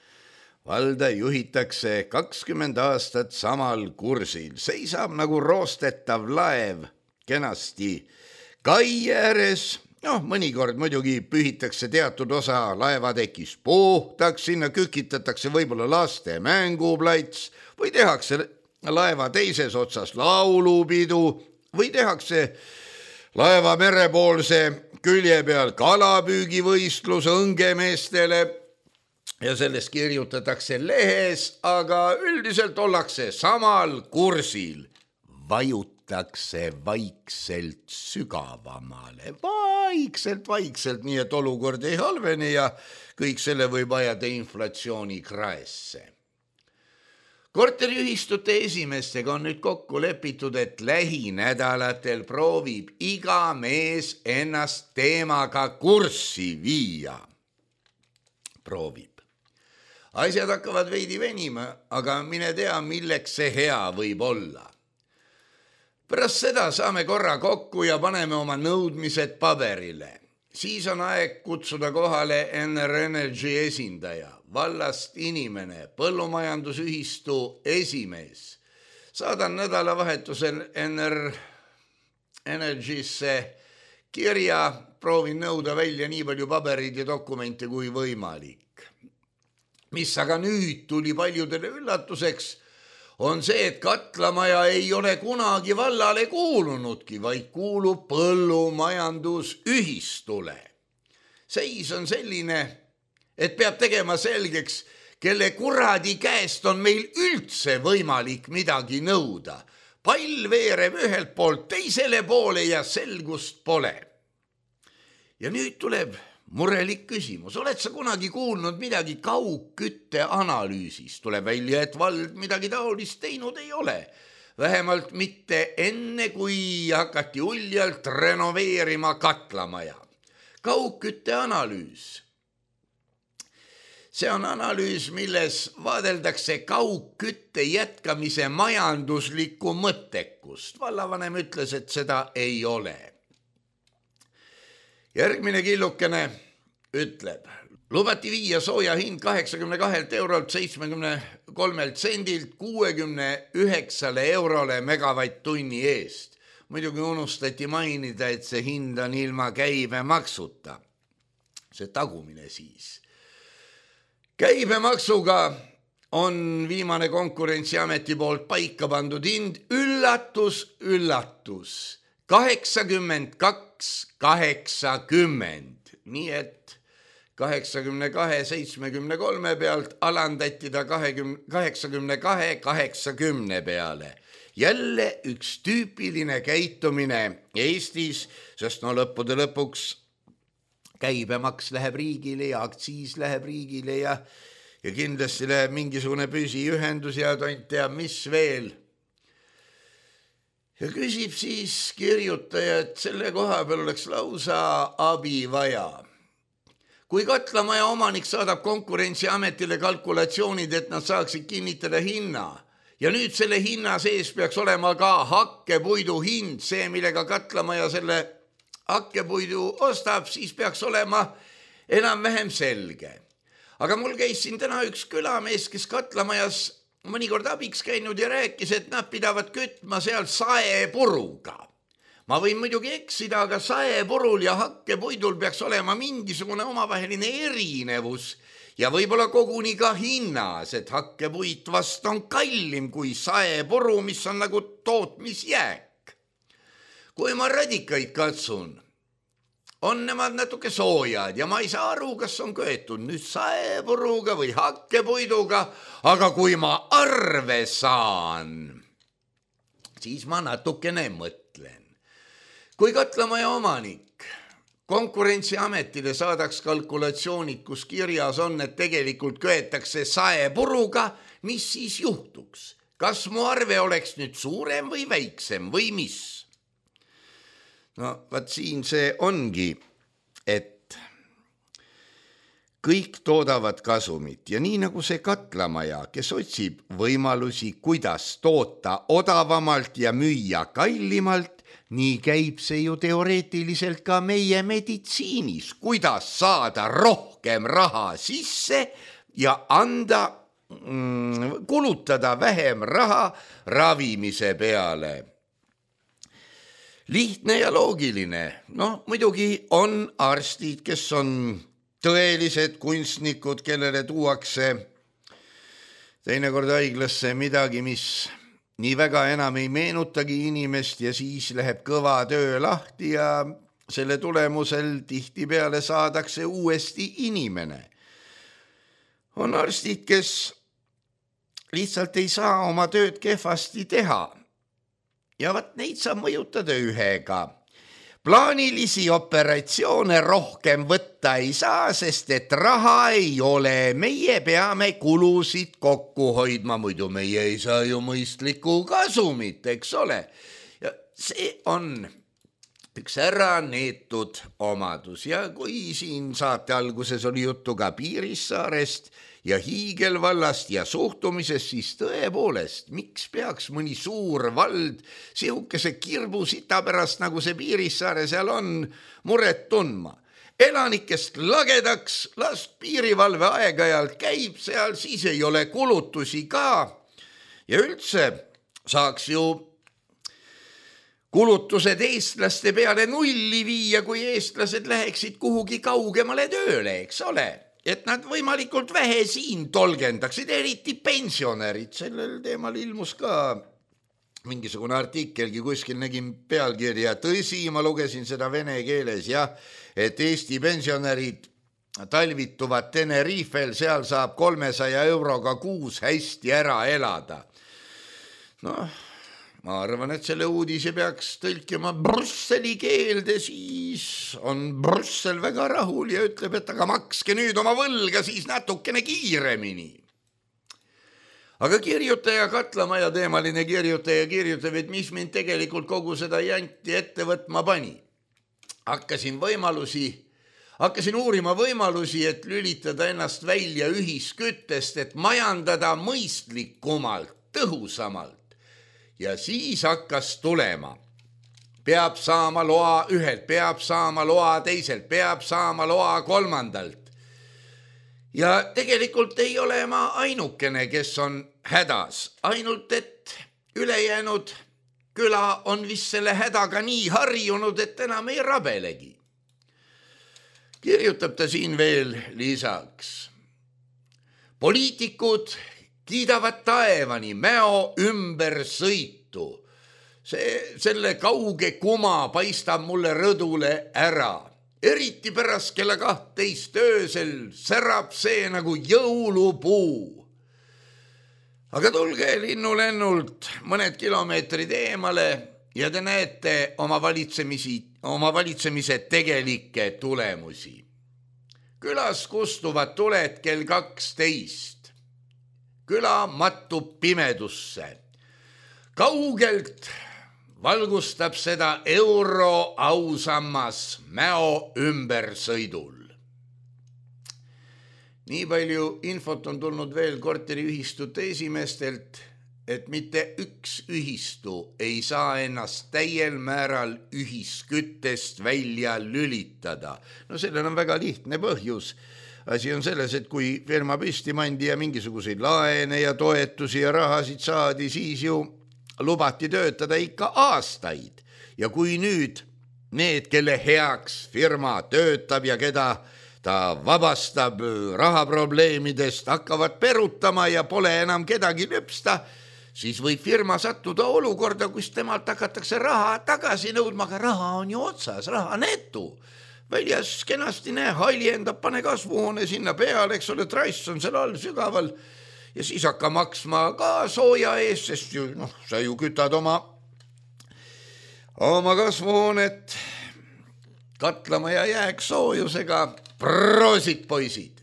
valda juhitakse kakskümmend aastat samal kursil. Seisab nagu roostetav laev kenasti kai ääres. Noh, mõnikord muidugi pühitakse teatud osa laevatekis puhtaks, sinna kükitatakse võib-olla laste mänguplats või tehakse laeva teises otsas laulupidu või tehakse laeva merepoolse külje peal kalapüügivõistlus õngemeestele ja sellest kirjutatakse lehes, aga üldiselt ollakse samal kursil. Vajutakse vaikselt sügavamale, vaikselt, vaikselt, nii et olukord ei halveni ja kõik selle võib ajada inflatsiooni kraesse. Korteriühistute esimestega on nüüd kokku lepitud, et lähinädalatel proovib iga mees ennast teemaga kurssi viia. Proovib. Asjad hakkavad veidi venima, aga mine tea, milleks see hea võib olla. Pärast seda saame korra kokku ja paneme oma nõudmised paberile. Siis on aeg kutsuda kohale N R Energy esindaja, vallast inimene, põllumajandusühistu esimees. Saadan nädalavahetusel N R Energysse kirja, proovin nõuda välja nii palju paberid ja dokumente kui võimalik. Mis aga nüüd tuli paljudele üllatuseks, on see, et Katlamaja ei ole kunagi vallale kuulunudki, vaid kuulub põllumajandusühistule. Seis on selline, et peab tegema selgeks, kelle kuradi käest on meil üldse võimalik midagi nõuda. Pall veereb ühelt poolt teisele poole ja selgust pole. Ja nüüd tuleb murelik küsimus. Oled sa kunagi kuulnud midagi kaugkütte analüüsist? Tuleb välja, et vald midagi taolist teinud ei ole. Vähemalt mitte enne, kui hakati uljalt renoveerima Katlamaja. Kaugkütte analüüs. See on analüüs, milles vaadeldakse kaugkütte jätkamise majanduslikku mõttekust. Vallavanem ütles, et seda ei ole. Järgmine killukene ütleb, lubati viia sooja hind kaheksakümne kahelt eurolt seitsmekümne kolmelt sendilt kuuekümne üheksale eurole megavatt-tunni eest. Muidugi unustati mainida, et see hind on ilma käibemaksuta. See tagumine siis. Käibemaksuga on viimane Konkurentsiameti poolt paika pandud hind üllatus, üllatus. kaheksakümmend kaks kaheksakümmend, nii et kaheksakümne kahe seitsmekümne kolme pealt alandati ta kaheksakümne kahe kaheksakümne peale. Jälle üks tüüpiline käitumine Eestis, sest no lõppude lõpuks käibemaks läheb riigile ja aktsiis läheb riigile ja, ja kindlasti läheb mingisugune püsiühendus ja tont teab mis veel. Ja küsib siis kirjutaja, et selle koha peal oleks lausa abi vaja. Kui Katlamaja omanik saadab Konkurentsiametile kalkulatsioonid, et nad saaksid kinnitada hinna ja nüüd selle hinna sees peaks olema ka hakkepuidu hind, see millega Katlamaja selle hakkepuidu ostab, siis peaks olema enam-vähem selge. Aga mul käis siin täna üks külamees, kes Katlamajas mõnikord abiks käinud ja rääkis, et nad pidavad kütma seal saepuruga. Ma võin muidugi eksida, aga saepurul ja hakkepuidul peaks olema mingisugune omavaheline erinevus ja võib-olla koguni ka hinnas, et hakkepuit vast on kallim kui saepuru, mis on nagu tootmisjääk. Kui ma radikaid katsun, on nemad natuke soojad ja ma ei saa aru, kas on köetud nüüd saepuruga või hakkepuiduga, aga kui ma arve saan, siis ma natukene mõtlen. Kui Katlamaja omanik Konkurentsiametile saadaks kalkulatsioonid, kus kirjas on, et tegelikult köetakse saepuruga, mis siis juhtuks? Kas mu arve oleks nüüd suurem või väiksem või mis? No, vaat siin see ongi, et kõik toodavad kasumit ja nii nagu see Katlamaja, kes otsib võimalusi, kuidas toota odavamalt ja müüa kallimalt, nii käib see ju teoreetiliselt ka meie meditsiinis, kuidas saada rohkem raha sisse ja anda, mm, kulutada vähem raha ravimise peale. Lihtne ja loogiline. No muidugi on arstid, kes on tõelised kunstnikud, kellele tuuakse teinekord haiglasse midagi, mis nii väga enam ei meenutagi inimest ja siis läheb kõva töö lahti ja selle tulemusel tihtipeale saadakse uuesti inimene. On arstid, kes lihtsalt ei saa oma tööd kehvasti teha ja vat neid saab mõjutada ühega. Plaanilisi operatsioone rohkem võtta ei saa, sest et raha ei ole. Meie peame kulusid kokku hoidma, muidu meie ei saa ju mõistlikku kasumit, eks ole. Ja see on üks ära neetud omadus ja kui siin saate alguses oli juttu ka Piirissaarest ja Hiigelvallast ja suhtumisest, siis tõepoolest, miks peaks mõni suur vald sihukese kirbusita pärast, nagu see Piirissaare seal on, muret tundma. Elanikest lagedaks, las piirivalve aeg-ajalt käib seal, siis ei ole kulutusi ka ja üldse saaks ju kulutused eestlaste peale nulli viia, kui eestlased läheksid kuhugi kaugemale tööle, eks ole, et nad võimalikult vähe siin tolgendaksid, eriti pensionärid. Sellel teemal ilmus ka mingisugune artikelgi, kuskil nägin pealkirja, tõsi, ma lugesin seda vene keeles, jah, et Eesti pensionärid talvituvad Tenerifel, seal saab kolmesaja euroga kuus hästi ära elada. Noh, ma arvan, et selle uudise peaks tõlkima Brüsseli keelde, siis on Brüssel väga rahul ja ütleb, et aga makske nüüd oma võlga siis natukene kiiremini. Aga kirjutaja, Katlamaja teemaline kirjutaja kirjutab, et mis mind tegelikult kogu seda janti ette võtma pani. Hakkasin võimalusi, hakkasin uurima võimalusi, et lülitada ennast välja ühisküttest, et majandada mõistlikumalt, tõhusamalt. Ja siis hakkas tulema. Peab saama loa ühelt, peab saama loa teiselt, peab saama loa kolmandalt. Ja tegelikult ei ole ma ainukene, kes on hädas. Ainult, et ülejäänud küla on vist selle hädaga nii harjunud, et enam ei rabelegi. Kirjutab ta siin veel lisaks. Poliitikud kiidavad taevani Mäo ümber sõitu. See, selle kauge kuma paistab mulle rõdule ära. Eriti pärast kella kahtteist öösel särab see nagu jõulupuu. Aga tulge linnulennult mõned kilomeetrid eemale ja te näete oma, oma valitsemise tegelikke tulemusi. Külas kustuvad tuled kell kaksteist. Küla mattub pimedusse. Kaugelt valgustab seda euro ausammas Mäo ümbersõidul. Nii palju infot on tulnud veel korteriühistute esimeestelt, et mitte üks ühistu ei saa ennast täiel määral ühisküttest välja lülitada. No sellel on väga lihtne põhjus. Asi on selles, et kui firma püsti mandi ja mingisuguseid laene ja toetusi ja rahasid saadi, siis ju lubati töötada ikka aastaid. Ja kui nüüd need, kelle heaks firma töötab ja keda ta vabastab rahaprobleemidest, hakkavad perutama ja pole enam kedagi lüpsta, siis võib firma sattuda olukorda, kus temalt hakatakse raha tagasi nõudma, aga raha on ju otsas, raha netu. Väljas kenasti näe, haljendab, pane kasvuhoone sinna peale, eks ole, trass on seal all sügaval ja siis hakka maksma ka sooja ees, sest ju, noh, sa ju kütad oma, oma kasvuhoonet katlama ja jääksoojusega. Proosit, poisid!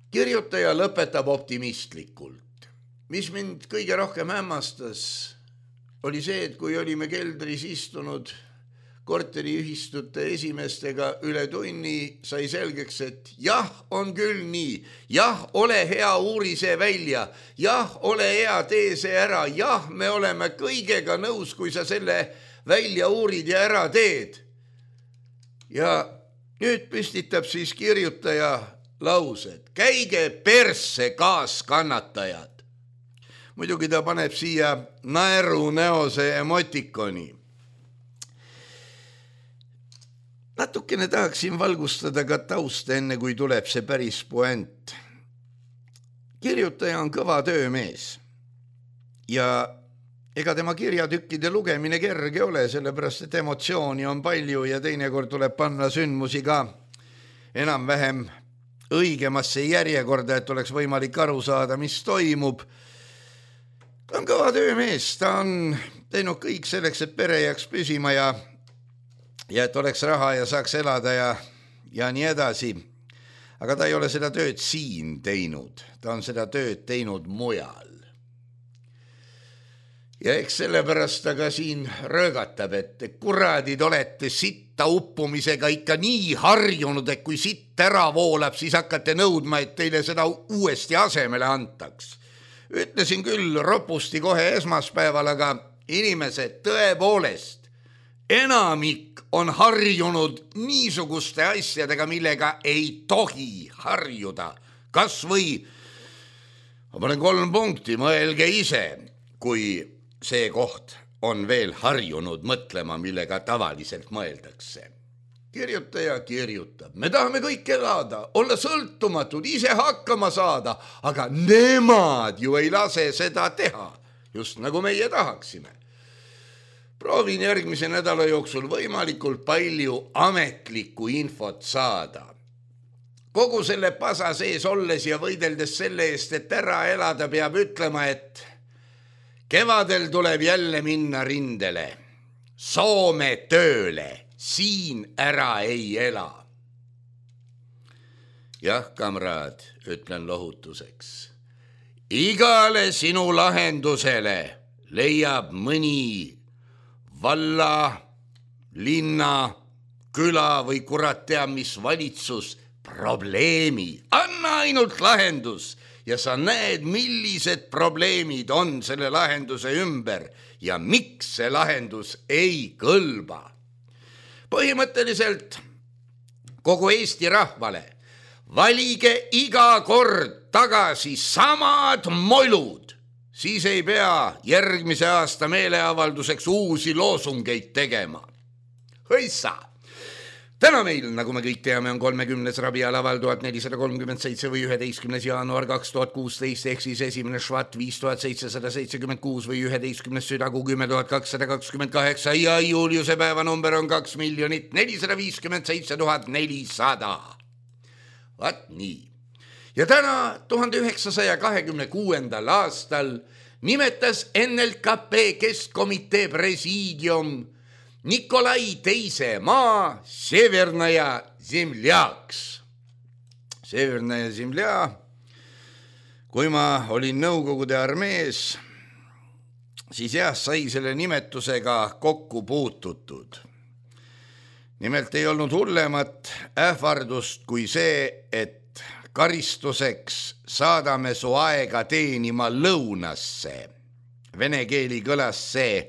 Kirjutaja lõpetab optimistlikult. Mis mind kõige rohkem hämmastas, oli see, et kui olime keldris istunud korteriühistute esimestega üle tunni, sai selgeks, et jah, on küll nii, jah, ole hea, uuri see välja, jah, ole hea, tee see ära, jah, me oleme kõigega nõus, kui sa selle välja uurid ja ära teed. Ja nüüd püstitab siis kirjutaja laused. Käige persse kaaskannatajad. Muidugi ta paneb siia naeru näose emotikoni. Natukene tahaksin valgustada ka tausta enne, kui tuleb see päris puent. Kirjutaja on kõva töömees ja ega tema kirjatükkide lugemine kerge ole, sellepärast et emotsiooni on palju ja teinekord tuleb panna sündmusi ka enam-vähem õigemasse järjekorda, et oleks võimalik aru saada, mis toimub. Ta on kõva töömees, ta on teinud kõik selleks, et pere jääks püsima ja, ja et oleks raha ja saaks elada ja, ja nii edasi. Aga ta ei ole seda tööd siin teinud, ta on seda tööd teinud mujal. Ja eks sellepärast ta ka siin röögatab, et kuradid olete sitta uppumisega ikka nii harjunud, et kui sitt ära voolab, siis hakkate nõudma, et teile seda uuesti asemele antaks. Ütlesin küll ropusti kohe esmaspäeval, aga inimesed tõepoolest, enamik on harjunud niisuguste asjadega, millega ei tohi harjuda. Kas või, ma panen kolm punkti, mõelge ise, kui see koht on veel harjunud mõtlema, millega tavaliselt mõeldakse. Kirjutaja kirjutab. Me tahame kõik elada, olla sõltumatud, ise hakkama saada, aga nemad ju ei lase seda teha, just nagu meie tahaksime. Proovin järgmise nädala jooksul võimalikult palju ametlikku infot saada. Kogu selle pasa sees olles ja võideldes selle eest, et ära elada, peab ütlema, et kevadel tuleb jälle minna rindele, Soome tööle, siin ära ei ela. Jah, kamraad, ütlen lohutuseks. Igale sinu lahendusele leiab mõni valla, linna, küla või kurat tea, mis valitsus probleemi. Anna ainult lahendus. Ja sa näed, millised probleemid on selle lahenduse ümber ja miks see lahendus ei kõlba. Põhimõtteliselt kogu Eesti rahvale valige iga kord tagasi samad molud, siis ei pea järgmise aasta meeleavalduseks uusi loosungeid tegema. Hõissa! Täna meil, nagu me kõik teame, on kolmekümnes rabialaval tuhat nelisada kolmkümmend seitse või üheteistkümnes jaanuar kaks tuhat kuusteist ehk siis esimene švat viis tuhat seitsesada seitsekümmend kuus või üheteistkümnes südagu kümme tuhat kakssada kakskümmend kaheksa ja Juliuse päeva number on kaks miljonit nelisada viiskümmend seitse tuhat nelisada. Vaat nii. Ja täna tuhande üheksasaja kahekümne kuuendal aastal nimetas N L K P keskkomitee presiidium Nikolai teise maa Severnaja Zemljaks. Severnaja Zemlja, kui ma olin Nõukogude armees, siis jah, sai selle nimetusega kokku puututud. Nimelt ei olnud hullemat ähvardust kui see, et karistuseks saadame su aega teenima lõunasse. Vene keeli kõlas see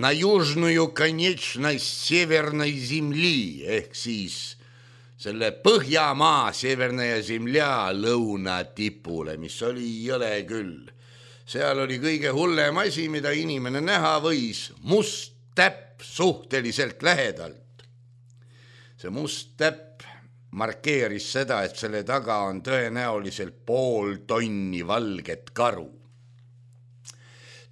na južnuju konečnost severnai zemli ehk siis selle Põhjamaa severnaja zemlja lõunatipule, mis oli jõle küll. Seal oli kõige hullem asi, mida inimene näha võis, must täpp suhteliselt lähedalt. See must täpp markeeris seda, et selle taga on tõenäoliselt pool tonni valget karu.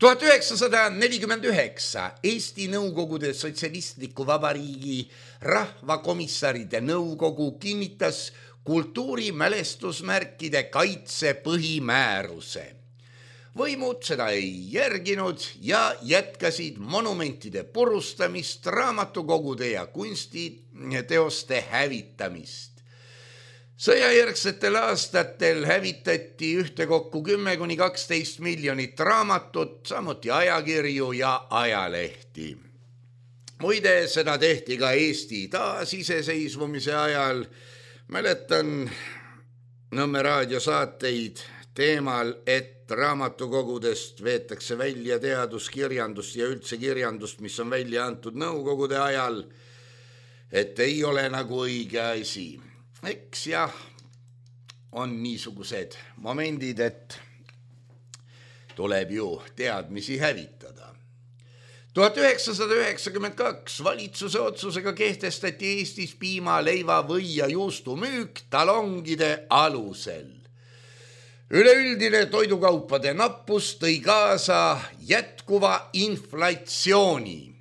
tuhat üheksasada nelikümmend üheksa Eesti Nõukogude Sotsialistliku Vabariigi rahvakomissaride nõukogu kinnitas kultuurimälestusmärkide kaitse põhimääruse. Võimud seda ei järginud ja jätkasid monumentide purustamist, raamatukogude ja kunstiteoste hävitamist. Sõjajärgsetel aastatel hävitati ühtekokku kümme kuni kaksteist miljonit raamatut, samuti ajakirju ja ajalehti. Muide, seda tehti ka Eesti taasiseseisvumise ajal. Mäletan Nõmme raadiosaateid teemal, et raamatukogudest veetakse välja teaduskirjandust ja üldse kirjandust, mis on välja antud Nõukogude ajal, et ei ole nagu õige asi. Eks jah, on niisugused momendid, et tuleb ju teadmisi hävitada. tuhat üheksasada üheksakümmend kaks valitsuse otsusega kehtestati Eestis piima, leiva, või ja juustu müük talongide alusel. Üleüldine toidukaupade nappus tõi kaasa jätkuva inflatsiooni.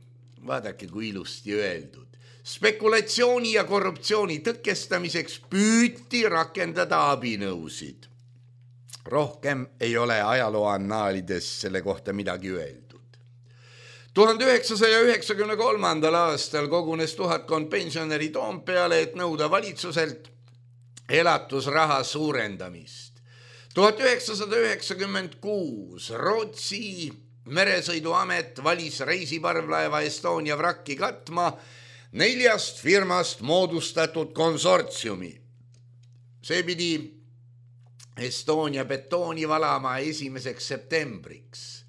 Vaadake, kui ilusti öeldud. Spekulatsiooni ja korruptsiooni tõkestamiseks püüti rakendada abinõusid. Rohkem ei ole ajaloo annaalides selle kohta midagi öeldud. tuhande üheksasaja üheksakümne kolmandal aastal kogunes tuhatkond pensionäri Toompeale, et nõuda valitsuselt elatusraha suurendamist. tuhat üheksasada üheksakümmend kuus Rootsi meresõiduamet valis reisiparvlaeva Estonia vrakki katma neljast firmast moodustatud konsortsiumi. See pidi Estonia betooni valama esimeseks septembriks.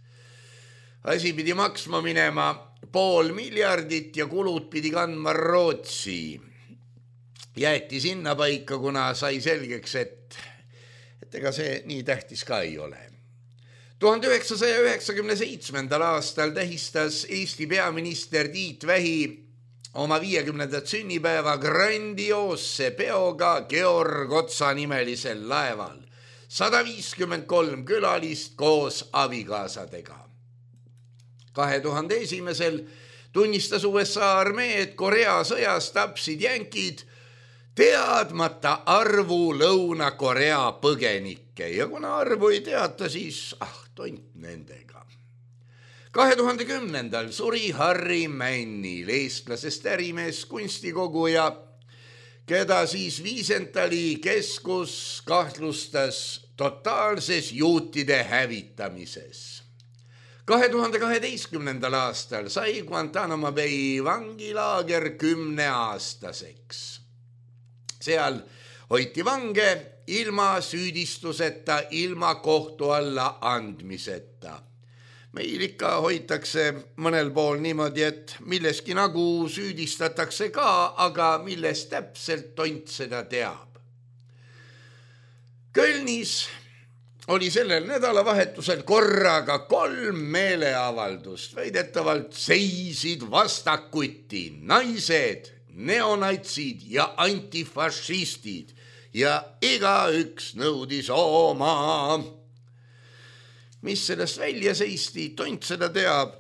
Asi pidi maksma minema pool miljardit ja kulud pidi kandma Rootsi. Jäeti sinna paika, kuna sai selgeks, et, et ega see nii tähtis ka ei ole. tuhande üheksasaja üheksakümne seitsmendal aastal tähistas Eesti peaminister Tiit Vähi oma viiekümnendat sünnipäeva grandioosse peoga Georg Otsa nimelisel laeval. sada viiskümmend kolm külalist koos abikaasadega. kahe tuhande esimesel tunnistas U S A armee, et Korea sõjas tapsid jänkid teadmata arvu Lõuna-Korea põgenikke ja kuna arvu ei teata, siis ah, tont nendega. kahe tuhande kümnendal suri Harri Männil, eestlasest ärimees, kunstikoguja, keda siis Viisentali keskus kahtlustas totaalses juutide hävitamises. kahe tuhande kaheteistkümnendal aastal sai Guantanamo Bay vangilaager kümneaastaseks. Seal hoiti vange ilma süüdistuseta, ilma kohtu alla andmiseta. Meil ikka hoitakse mõnel pool niimoodi, et milleski nagu süüdistatakse ka, aga milles täpselt tont seda teab. Kölnis oli sellel nädalavahetusel korraga kolm meeleavaldust. Väidetavalt seisid vastakuti naised, neonatsid ja antifašistid ja igaüks nõudis oma. Mis sellest välja seisti, tont seda teab.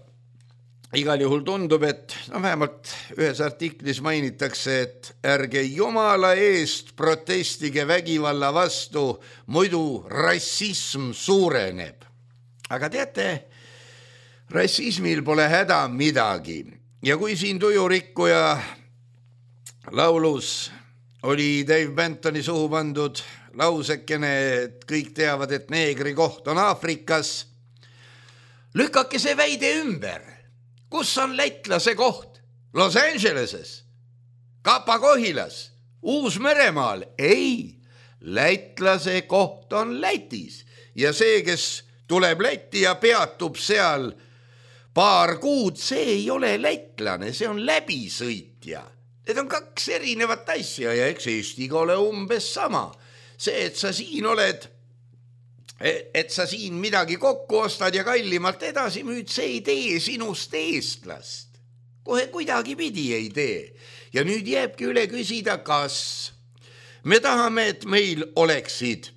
Igal juhul tundub, et no vähemalt ühes artiklis mainitakse, et ärge jumala eest protestige vägivalla vastu, muidu rassism suureneb. Aga teate, rassismil pole häda midagi. Ja kui siin tujurikkuja laulus oli Dave Bentoni suhu pandud lausekene, et kõik teavad, et neegri koht on Aafrikas. Lükake see väide ümber. Kus on lätlase koht? Los Angeleses, Kapa-Kohilas, Uus-Meremaal? Ei, lätlase koht on Lätis ja see, kes tuleb Lätti ja peatub seal paar kuud, see ei ole lätlane, see on läbisõitja. Need on kaks erinevat asja ja eks Eestiga ole umbes sama. See, et sa siin oled, et sa siin midagi kokku ostad ja kallimalt edasi müüd, see ei tee sinust eestlast. Kohe kuidagi pidi ei tee. Ja nüüd jääbki üle küsida, kas me tahame, et meil oleksid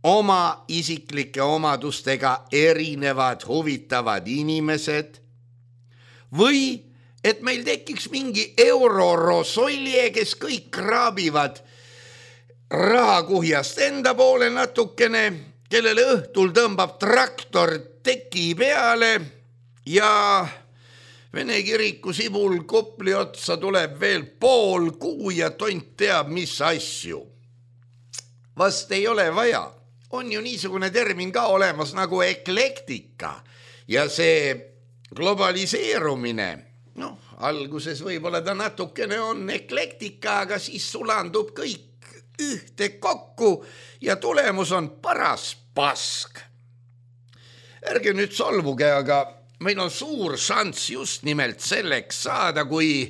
oma isiklike omadustega erinevad huvitavad inimesed või et meil tekiks mingi eurorosolje, kes kõik kraabivad rahakuhjast enda poole natukene, kellele õhtul tõmbab traktor teki peale ja Vene kiriku sibul Kopli otsa tuleb veel pool kuu ja tont teab, mis asju. Vast ei ole vaja. On ju niisugune termin ka olemas nagu eklektika ja see globaliseerumine, noh, alguses võib-olla ta natukene on eklektika, aga siis sulandub kõik ühte kokku ja tulemus on paras pask. Ärge nüüd solvuge, aga meil on suur šanss just nimelt selleks saada, kui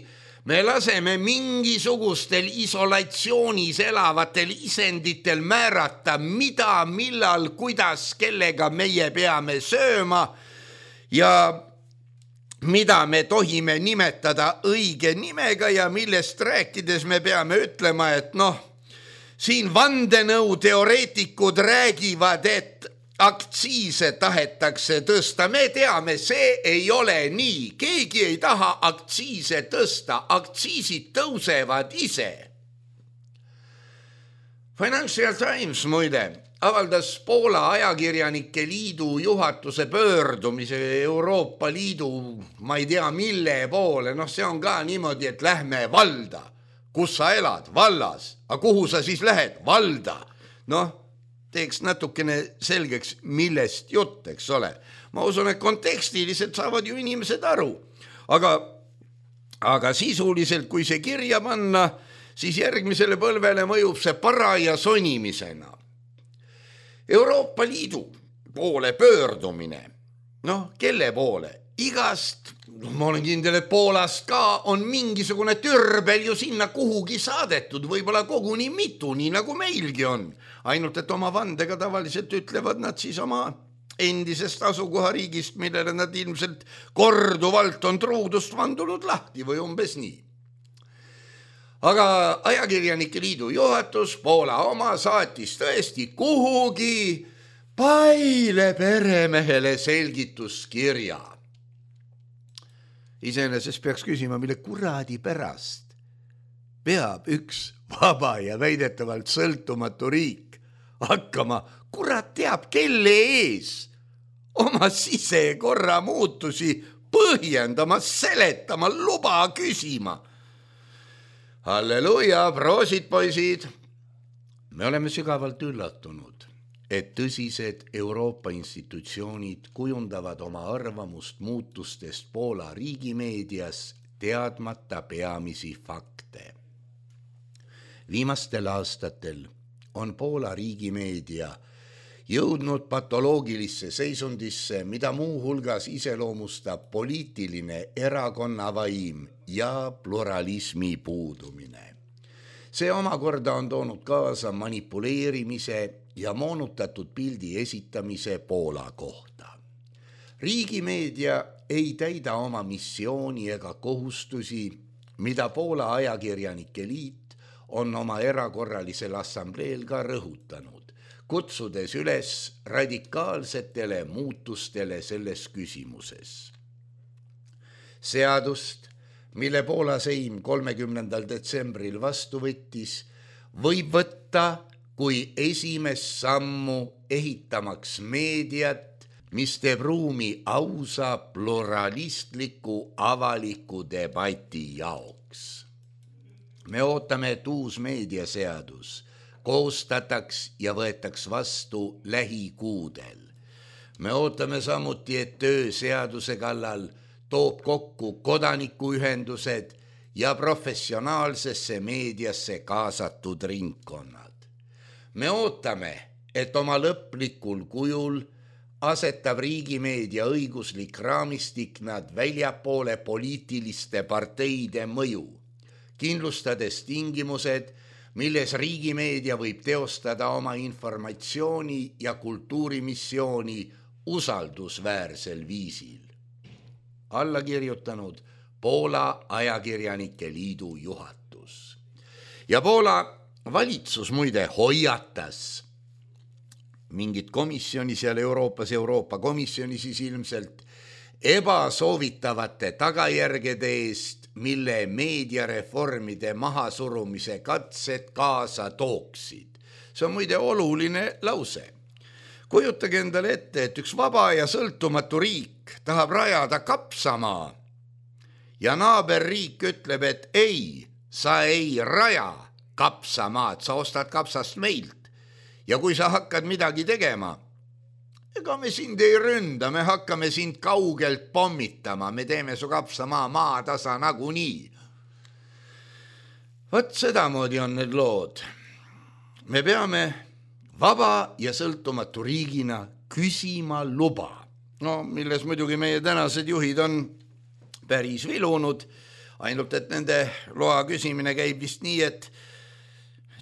me laseme mingisugustel isolatsioonis elavatel isenditel määrata, mida, millal, kuidas, kellega meie peame sööma ja mida me tohime nimetada õige nimega ja millest rääkides me peame ütlema, et noh, siin vandenõu teoreetikud räägivad, et aktsiise tahetakse tõsta. Me teame, see ei ole nii. Keegi ei taha aktsiise tõsta. Aktsiisid tõusevad ise. Financial Times muide avaldas Poola ajakirjanike liidu juhatuse pöördumise Euroopa Liidu, ma ei tea mille poole. Noh, see on ka niimoodi, et lähme valda. Kus sa elad? Vallas. Aga kuhu sa siis lähed? Valda. Noh, teeks natukene selgeks, millest jutt, eks ole. Ma usun, et kontekstiliselt saavad ju inimesed aru. Aga, aga sisuliselt, kui see kirja panna, siis järgmisele põlvele mõjub see paraja sonimisena. Euroopa Liidu poole pöördumine. Noh, kelle poole? Igast, ma olen kindel, et Poolast ka on mingisugune türbel ju sinna kuhugi saadetud, võib-olla koguni mitu, nii nagu meilgi on. Ainult, et oma vandega tavaliselt ütlevad nad siis oma endisest asukohariigist, millele nad ilmselt korduvalt on truudust vandunud lahti või umbes nii. Aga ajakirjanike liidu juhatus, Poola oma, saatis tõesti kuhugi Paile peremehele selgituskirja. Iseenesest peaks küsima, mille kuradi pärast peab üks vaba ja väidetavalt sõltumatu riik hakkama, kurat teab, kelle ees oma sisekorra muutusi põhjendama, seletama, luba küsima. Halleluja, proosid poisid! Me oleme sügavalt üllatunud, et tõsised Euroopa institutsioonid kujundavad oma arvamust muutustest Poola riigimeedias teadmata peamisi fakte. Viimastel aastatel on Poola riigimeedia jõudnud patoloogilisse seisundisse, mida muu hulgas iseloomustab poliitiline erakonnavaim ja pluralismi puudumine. See omakorda on toonud kaasa manipuleerimise ja moonutatud pildi esitamise Poola kohta. Riigimeedia ei täida oma missiooni ega kohustusi, mida Poola ajakirjanike liit on oma erakorralisel assambleel ka rõhutanud, kutsudes üles radikaalsetele muutustele selles küsimuses. Seadust, mille Poola Seim kolmekümnendal detsembril vastu võttis, võib võtta kui esimest sammu ehitamaks meediat, mis teeb ruumi ausa pluralistliku avaliku debati jaoks. Me ootame, et uus meediaseadus koostataks ja võetaks vastu lähikuudel. Me ootame samuti, et töö seaduse kallal toob kokku kodanikuühendused ja professionaalsesse meediasse kaasatud ringkonnad. Me ootame, et oma lõplikul kujul asetab riigimeedia õiguslik raamistik nad väljapoole poliitiliste parteide mõju, kindlustades tingimused, milles riigimeedia võib teostada oma informatsiooni ja kultuurimissiooni usaldusväärsel viisil. Alla kirjutanud Poola ajakirjanike liidu juhatus. Ja Poola valitsus muide hoiatas mingit komisjoni seal Euroopas, Euroopa komisjoni siis ilmselt ebasoovitavate tagajärgede eest, mille meediareformide mahasurumise katsed kaasa tooksid. See on muide oluline lause. Kujutage endale ette, et üks vaba ja sõltumatu riik tahab rajada kapsamaa ja naaberriik ütleb, et ei, sa ei raja kapsamaad, sa ostad kapsast meilt. Ja kui sa hakkad midagi tegema, ega me sind ei ründa, me hakkame sind kaugelt pommitama, me teeme su kapsamaa maatasa nagunii. Võt sedamoodi on need lood. Me peame vaba ja sõltumatu riigina küsima luba. No, milles muidugi meie tänased juhid on päris vilunud, ainult et nende loa küsimine käib vist nii, et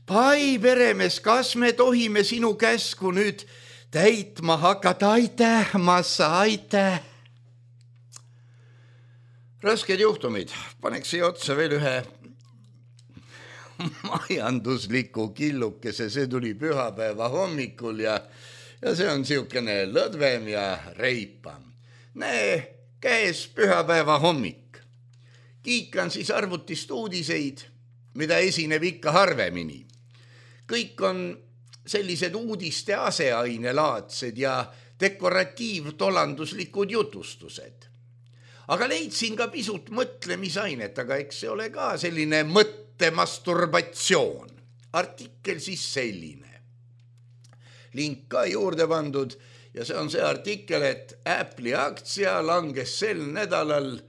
pai, peremees, kas me tohime sinu käsku nüüd täitma hakata? Aitäh, massa, aitäh. Rasked juhtumid. Paneks siia otsa veel ühe majandusliku killukese. See tuli pühapäeva hommikul ja, ja see on siukene lõdvem ja reipam. Näe, käes pühapäeva hommik. Kiikan siis arvutist uudiseid, mida esineb ikka harvemini. Kõik on sellised uudiste aseainelaadsed ja dekoratiivtolanduslikud jutustused. Aga leidsin ka pisut mõtlemisainet, aga eks see ole ka selline mõttemasturbatsioon. Artikkel siis selline. Link ka juurde pandud ja see on see artikkel, et Apple'i aktsia langes sel nädalal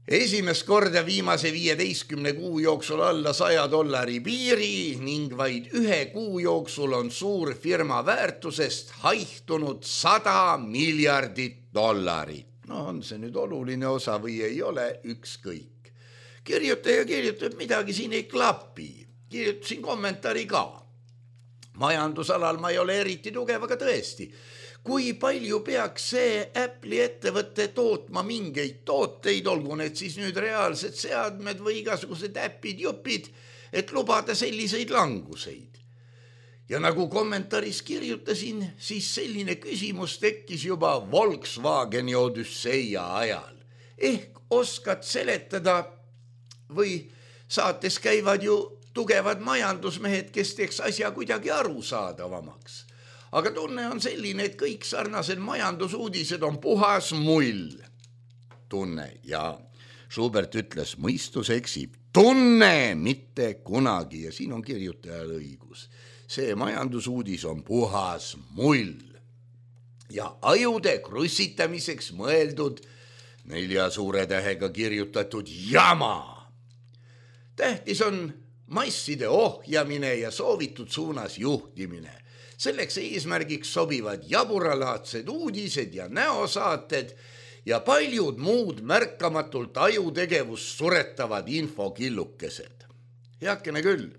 esimest korda viimase viieteistkümne kuu jooksul alla saja dollari piiri ning vaid ühe kuu jooksul on suur firma väärtusest haihtunud sada miljardit dollarit. No on see nüüd oluline osa või ei ole, ükskõik. Kirjutaja kirjutab midagi siin ei klapi. Kirjutasin kommentaari ka. Majandusalal ma ei ole eriti tugev, aga tõesti. Kui palju peaks see Apple'i ettevõtte tootma mingeid tooteid, olgu need siis nüüd reaalsed seadmed või igasugused äpid, jupid, et lubada selliseid languseid. Ja nagu kommentaaris kirjutasin, siis selline küsimus tekkis juba Volkswageni Odüsseia ajal. Ehk oskad seletada või saates käivad ju tugevad majandusmehed, kes teeks asja kuidagi arusaadavamaks. Aga tunne on selline, et kõik sarnased majandusuudised on puhas mull. Tunne, ja Schubert ütles, mõistus eksib. Tunne, mitte kunagi, ja siin on kirjutajal õigus. See majandusuudis on puhas mull. Ja ajude krussitamiseks mõeldud nelja suure tähega kirjutatud jama. Tähtis on masside ohjamine ja soovitud suunas juhtimine. Selleks eesmärgiks sobivad jaburalaadsed uudised ja näosaated ja paljud muud märkamatult ajutegevust suretavad infokillukesed. Heakene küll.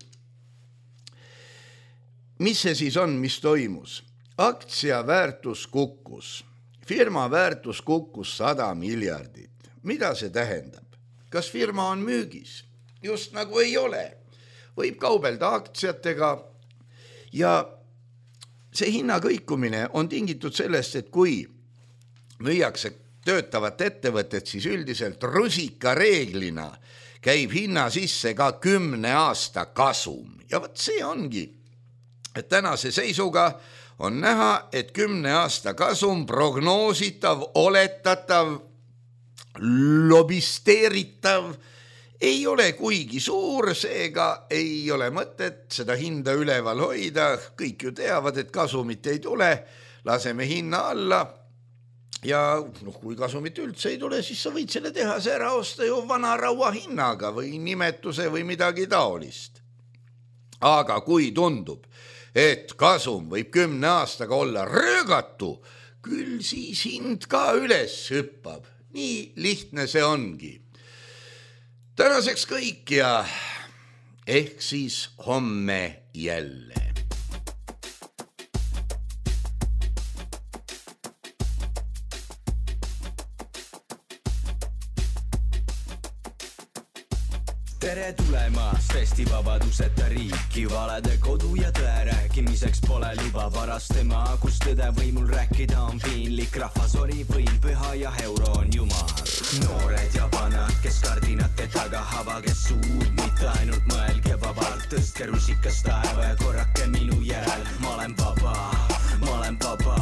Mis see siis on, mis toimus? Aktsia väärtus kukkus. Firma väärtus kukkus sada miljardit. Mida see tähendab? Kas firma on müügis? Just nagu ei ole. Võib kaubelda aktsiatega ja see hinna kõikumine on tingitud sellest, et kui müüakse töötavat ettevõtet, siis üldiselt rusika reeglina käib hinna sisse ka kümne aasta kasum. Ja võt see ongi, et tänase seisuga on näha, et kümne aasta kasum prognoositav, oletatav, lobisteeritav ei ole kuigi suur, seega ei ole mõtet seda hinda üleval hoida. Kõik ju teavad, et kasumit ei tule, laseme hinna alla ja noh, kui kasumit üldse ei tule, siis sa võid selle tehase ära osta ju vana raua hinnaga või nimetuse või midagi taolist. Aga kui tundub, et kasum võib kümne aastaga olla röögatu, küll siis hind ka üles hüppab. Nii lihtne see ongi. Tänaseks kõik ja ehk siis homme jälle. Tere tulemast Eesti vabaduseta riiki, valede kodu ja tõe rääkimiseks pole luba varast tema, kus tõde võimul rääkida on piinlik, rahvas ori võim püha ja euro on jumal. Noored ja vanad, kes kardinate taga havage suud, mitte ainult mõelge vabalt, tõstke rusikas taeva ja korrake minu järel, ma olen vaba, ma olen vaba.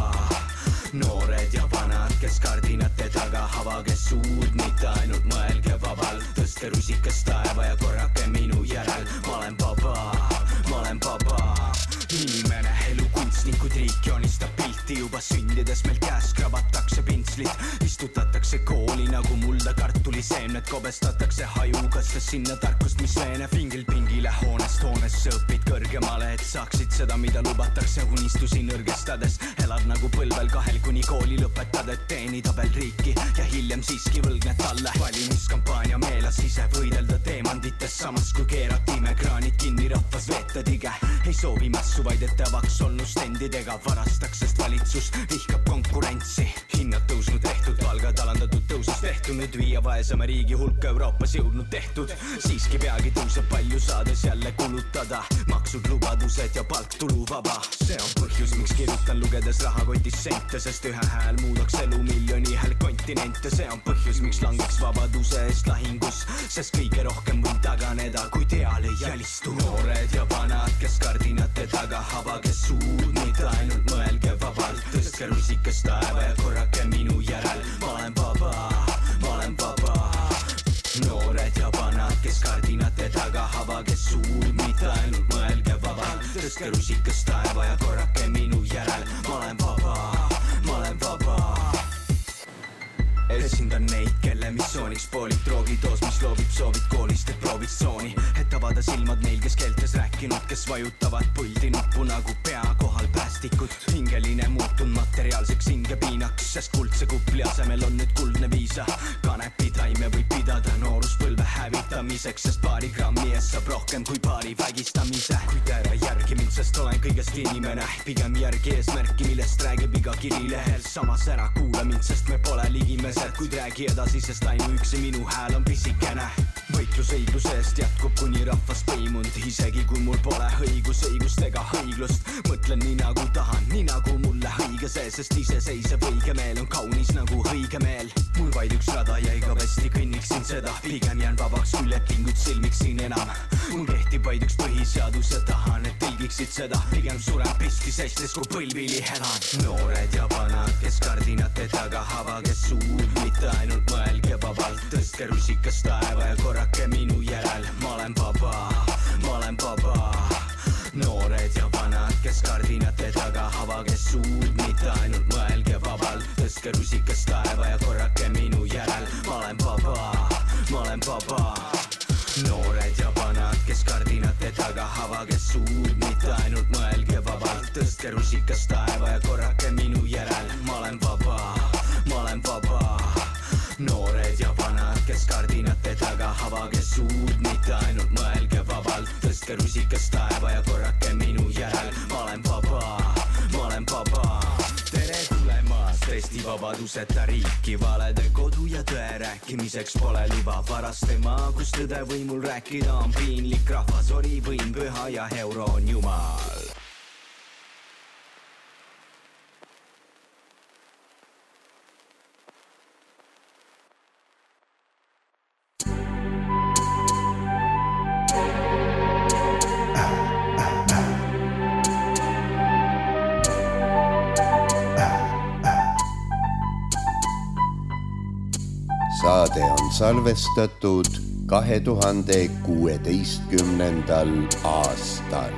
Noored ja vanad, kes kardinate taga havage suud, mitte ainult mõelge vabalt, tõstke rusikas taeva ja korrake minu järel, ma olen vaba, ma olen vaba. Inimene, elu kunstnikud, riik joonistab pilti juba sündides, meil käes kravatakse pintslid, istutatakse kooli nagu mulda kartuliseemned, kobestatakse hajukastes sinna tarkust, mis leeneb fingil pingile hoonest hoonesse, õpid kõrgemale, et saaksid seda, mida lubatakse unistusi nõrgestades, elad nagu põlvel kahel kuni kooli lõpetad, et teenida veel riiki ja hiljem siiski võlgned talle. Valimiskampaania meelas ise võidelda teemandites, samas kui keeratime kraanid kinni, rahvas veeta tige, ei soovi mässu, vaid ette avaks olnud stendidega varastaks, sest valitsus vihkab konkurentsi. Hinnad tõusnud tehtud, palgad alandatud tõusust tehtud, nüüd viia vaesema riigi hulka Euroopas jõudnud tehtud. Siiski peagi tõuseb palju saades jälle kulutada, maksud, lubadused ja palk tuluvaba. See on põhjus, miks kirjutan lugedes rahakotis sente, sest ühe hääl muudaks elu miljoni hääl kontinente. See on põhjus, miks langeks vabaduse eest lahingus, sest kõige rohkem võin taganeda, kui teal ei jälistu. Noored ja vanad, kes kardinate taga havage suud, mitte ainult mõelge vabalt, tõstke rusikas taeva ja korrake minu järel, ma olen vaba, ma olen vaba. Noored ja vanad, kes kardinate taga havage suud, mitte ainult mõelge vabalt, tõstke rusikas taeva ja korrake minu järel, ma olen vaba, ma olen vaba. Esindan neid, kelle missiooniks poolik droogitoos, mis loobib soovid koolist, et proovid tsooni, et avada silmad neil, kes keeltes rääkinud, kes vajutavad puldi nuppu nagu pea kohal päästikud. Hingeline muutun materiaalseks hingepiinaks, sest kuldse kupli asemel on nüüd kuldne viisa. Kanepi taime võib pidada nooruspõlve hävitamiseks, sest paari grammi ees saab rohkem kui paari vägistamise. Kuid ära järgi mind, sest olen kõigest inimene, pigem järgi eesmärki, millest räägib iga kirilehel. Samas ära kuula mind, sest me pole ligimesed, kuid räägi edasi, sest ainuüksi minu hääl on pisikene. Võitlus õigluse eest jätkub kuni rahvas põimunud, isegi kui mul pole õigus, õigust ega õiglust. Mõtlen nii nagu tahan, nii nagu mulle õige see, sest iseseisev õige meel on kaunis nagu õige meel. Mul vaid üks rada ja igavesti kõnniksin seda, pigem jään vabaks, kui lepingut silmiksin enam. Mul kehtib vaid üks põhiseadus ja tahan, et tõlgiksid seda, pigem suren piski seistes, kui põlvili elan. Noored ja vanad, kes kardinate taga havage suud, mitte ainult mõelge vabalt, tõstke rusikas taeva ja korrake minu järel, ma olen vaba, ma olen vaba. Noored ja vanad, kes kardinate taga havage suud, mitte ainult mõelge vabalt, tõstke rusikas taeva ja korrake minu järel, ma olen vaba, ma olen vaba. Noored ja vanad, kes kardinate taga havage suud, mitte ainult mõelge vabalt, tõstke rusikas taeva ja korrake minu järel, ma olen vaba, ma olen vaba. Noored ja vanad, kes kardinate taga havage suud, mitte ainult mõelge vabalt, tõstke rusikas taeva ja korrake minu järel, ma olen vaba, ma olen vaba. Tere tulemast Eesti vabaduseta riiki, valede kodu ja tõe rääkimiseks pole luba varast tema, kus tõde võimul rääkida on piinlik, rahvas ori võim püha ja euro on jumal. Saade on salvestatud kahe tuhande kuueteistkümnendal aastal.